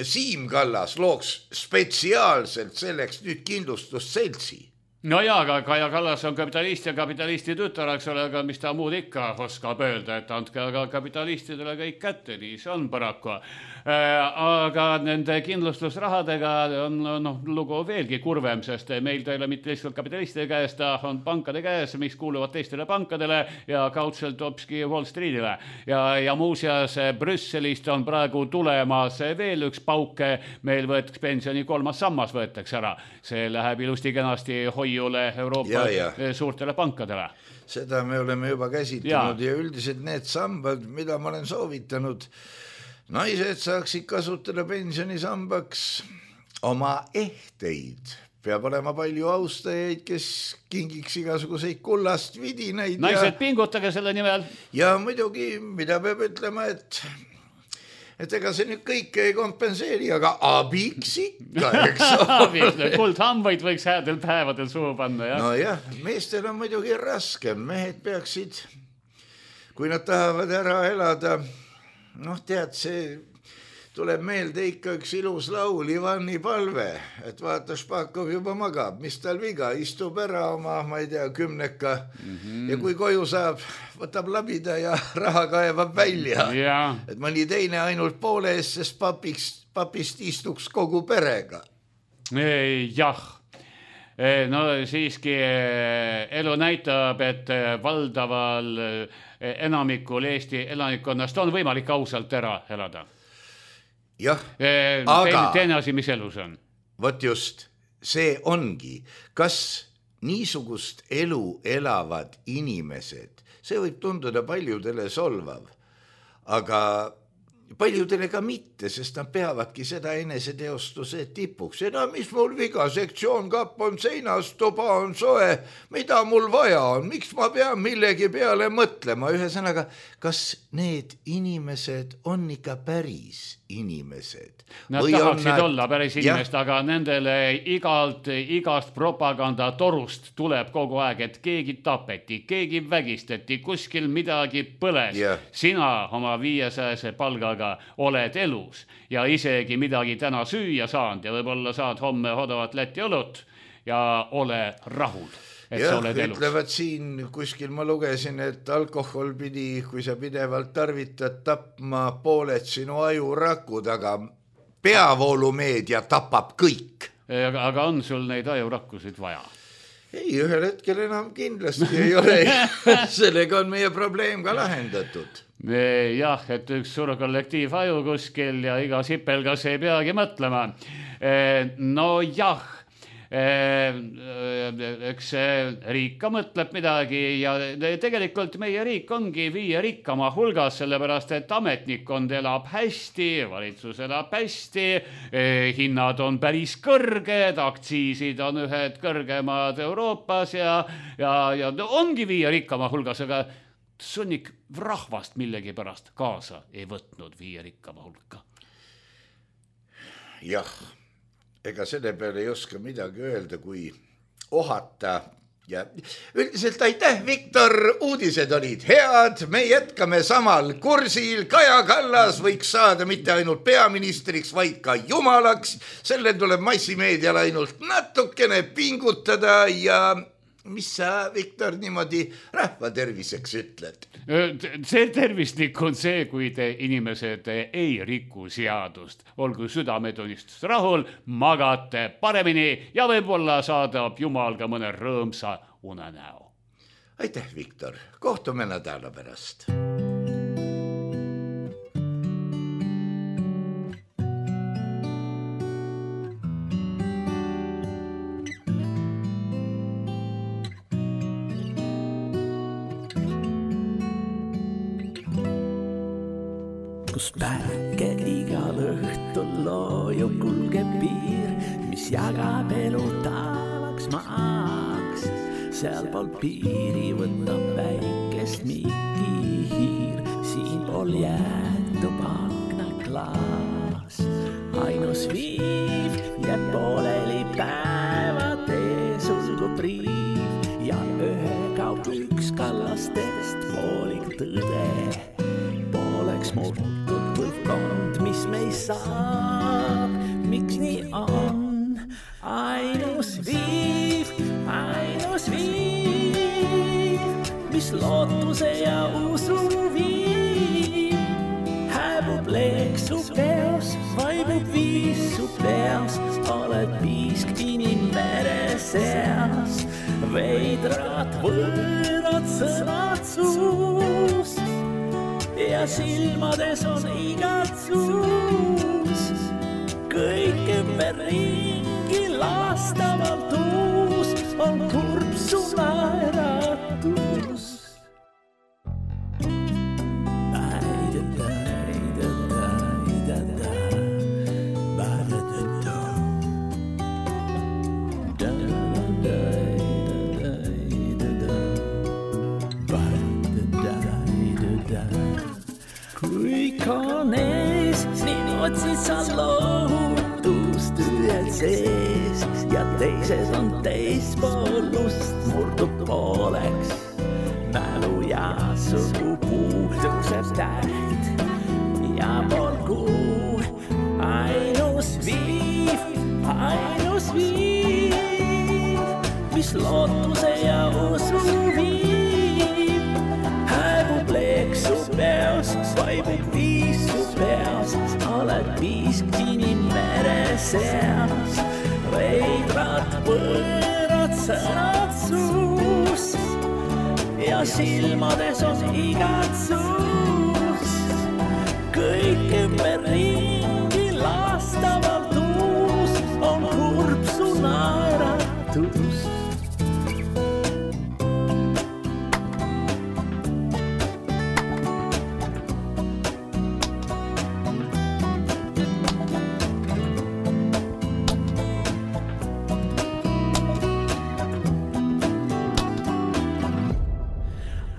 Siim Kallas looks spetsiaalselt selleks nüüd kindlustusseltsi. No jaa, aga Kaja Kallas on kapitalist ja kapitalisti tütar, eks ole, aga mis ta muud ikka oskab öelda, et andke aga kapitalistidele kõik kätte, nii see on paraku. Aga nende kindlustusrahadega on no, lugu veelgi kurvem, sest meil ta ei ole mitte lihtsalt kapitalistide käes, ta on pankade käes, mis kuuluvad teistele pankadele ja kaudselt hopski Wall Streetile. Ja, ja muuseas Brüsselist on praegu tulemas veel üks pauke, meil võetakse pensioni kolmas sammas võetakse ära. See läheb ilusti kenasti hoiule Euroopa ja, ja. suurtele pankadele. Seda me oleme juba käsitlenud ja, ja üldiselt need sambad, mida ma olen soovitanud, naised saaksid kasutada pensionisambaks oma ehteid. Peab olema palju austajaid, kes kingiks igasuguseid kullast vidinaid. Naised ja... pingutage selle nimel. Ja muidugi, mida peab ütlema, et, et ega see nüüd kõik ei kompenseeri, aga abiks ikka, eks ole. Kuldhambaid võiks häädel päevadel suhu panna. Ja? No jah, meestel on muidugi raske. Mehed peaksid, kui nad tahavad ära elada, noh, tead, see tuleb meelde ikka üks ilus laul, Ivani palve, et vaata, Špakov juba magab, mis tal viga, istub ära oma, ma ei tea, kümneka mm-hmm. ja kui koju saab, võtab labida ja raha kaevab välja. Ja. Et mõni teine ainult poole eest, sest papiks, papist istuks kogu perega. Jah. No siiski elu näitab, et valdaval enamikul Eesti elanikkonnast on võimalik ausalt ära elada. Jah, e, aga teine asi, mis elus on? Võt just, see ongi, kas niisugust elu elavad inimesed, see võib tunduda paljudele solvav, aga paljudele ka mitte, sest nad peavadki seda eneseteostuse tipuks. Ja no, mis mul viga, sektsioon kapp on seinas, tuba on soe, mida mul vaja on, miks ma pean millegi peale mõtlema? Ühesõnaga, kas need inimesed on ikka päris inimesed? Nad Või tahaksid nad... olla päris inimest, ja? Aga nendele igalt, igast propaganda torust tuleb kogu aeg, et keegi tapeti, keegi vägistati, kuskil midagi põles. Ja. Sina oma viiesajase palgaga oled elus ja isegi midagi täna süüa saanud ja võib-olla saad homme odavat Läti õlut ja ole rahul. Jah, ütlevad siin, kuskil ma lugesin, et alkohol pidi, kui sa pidevalt tarvitad, tapma pooled sinu ajurakud, aga peavoolumeedia tapab kõik. Aga on sul neid ajurakkusid vaja? Ei, ühel hetkel enam kindlasti ei ole. Sellega on meie probleem ka lahendatud. Jah, et üks suur kollektiiv aju kuskil ja iga sipelgas ei peagi mõtlema. No jah, eks riik ka mõtleb midagi ja tegelikult meie riik ongi viie rikkama hulgas, sellepärast et ametnikkond elab hästi, valitsus elab hästi, hinnad on päris kõrged, aktsiisid on ühed kõrgemad Euroopas ja, ja, ja ongi viie rikkama hulgas, aga sunnik rahvast millegi pärast kaasa ei võtnud viie rikkama hulka. Jah. Ega selle peale ei oska midagi öelda, kui ohata ja üldiselt aitäh, Viktor, uudised olid head, me jätkame samal kursil, Kaja Kallas võiks saada mitte ainult peaministriks, vaid ka jumalaks, selle tuleb massimeedial ainult natukene pingutada ja mis sa, Viktor, niimoodi rahva terviseks ütled? See tervislik on see, kui te inimesed ei riku seadust. Olgu südametunnistus rahul, magate paremini ja võib-olla saadab Jumal ka mõne rõõmsa unenäo. Aitäh, Viktor. Kohtume nädala pärast. kus päike igal õhtul loojub kulgeb piir, mis jagab elu taevaks maaks. Seal pool piiri võtab väikest Miki hiir, siin pool jätub aknaklaas. Ainus viiv jääb pooleli päevade sulgub riiv ja ühe kaub üks kallastest poolik tõde. Pooleks murtud põlvkond, mis me ei saab, miks nii on? Ainus viiv, ainus viiv, mis lootuse ja usu viib. Hääbub leeksu peos, vaibub viisu peos, oled piisk inimmere seas. Veidrad võõrad sõnad suus ja silmades on igatsus. Kõik ümber ringi lastavalt uus on kurb su naeratus. Kõik on ees, nii otsid sa lohutust ühed sees ja teised on teispoolust murdub pooleks. Mälu ja sugupuu tõuseb täht ja pool kuu. Ainus viiv, ainus viiv, mis lootuse ja usu viib. Hääbub leeksu peos, vaibub viisu peos, oled piisk inimmere seas. Veidrad võõrad sõnad suus ja silmades on igatsus. Kõik ümber ringi lastavalt uus on kurb su naeratus.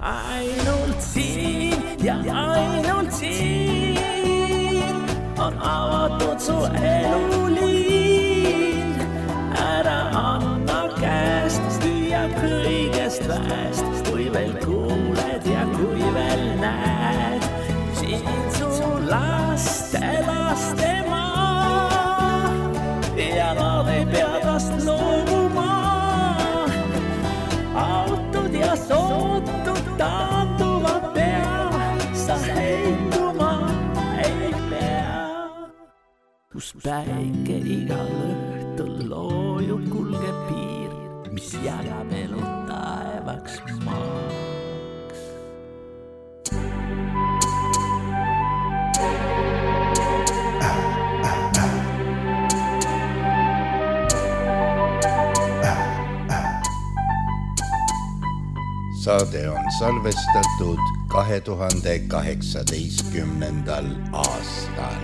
Ainult siin ja ainult siin on avatud su eluliin. Ära anna käest, lüüa kõigest väest, kui veel kuuled ja kui veel näed. Siin su laste, laste maa ja nad ei pea tast loobuma. Autod ja sootud taanduvad pea, sa heituma ei pea. Kus päike igal õhtul loojub kulgeb piir, mis jagab elu taevaks maaks. Saade on salvestatud kahe tuhande kaheksateistkümnendal aastal.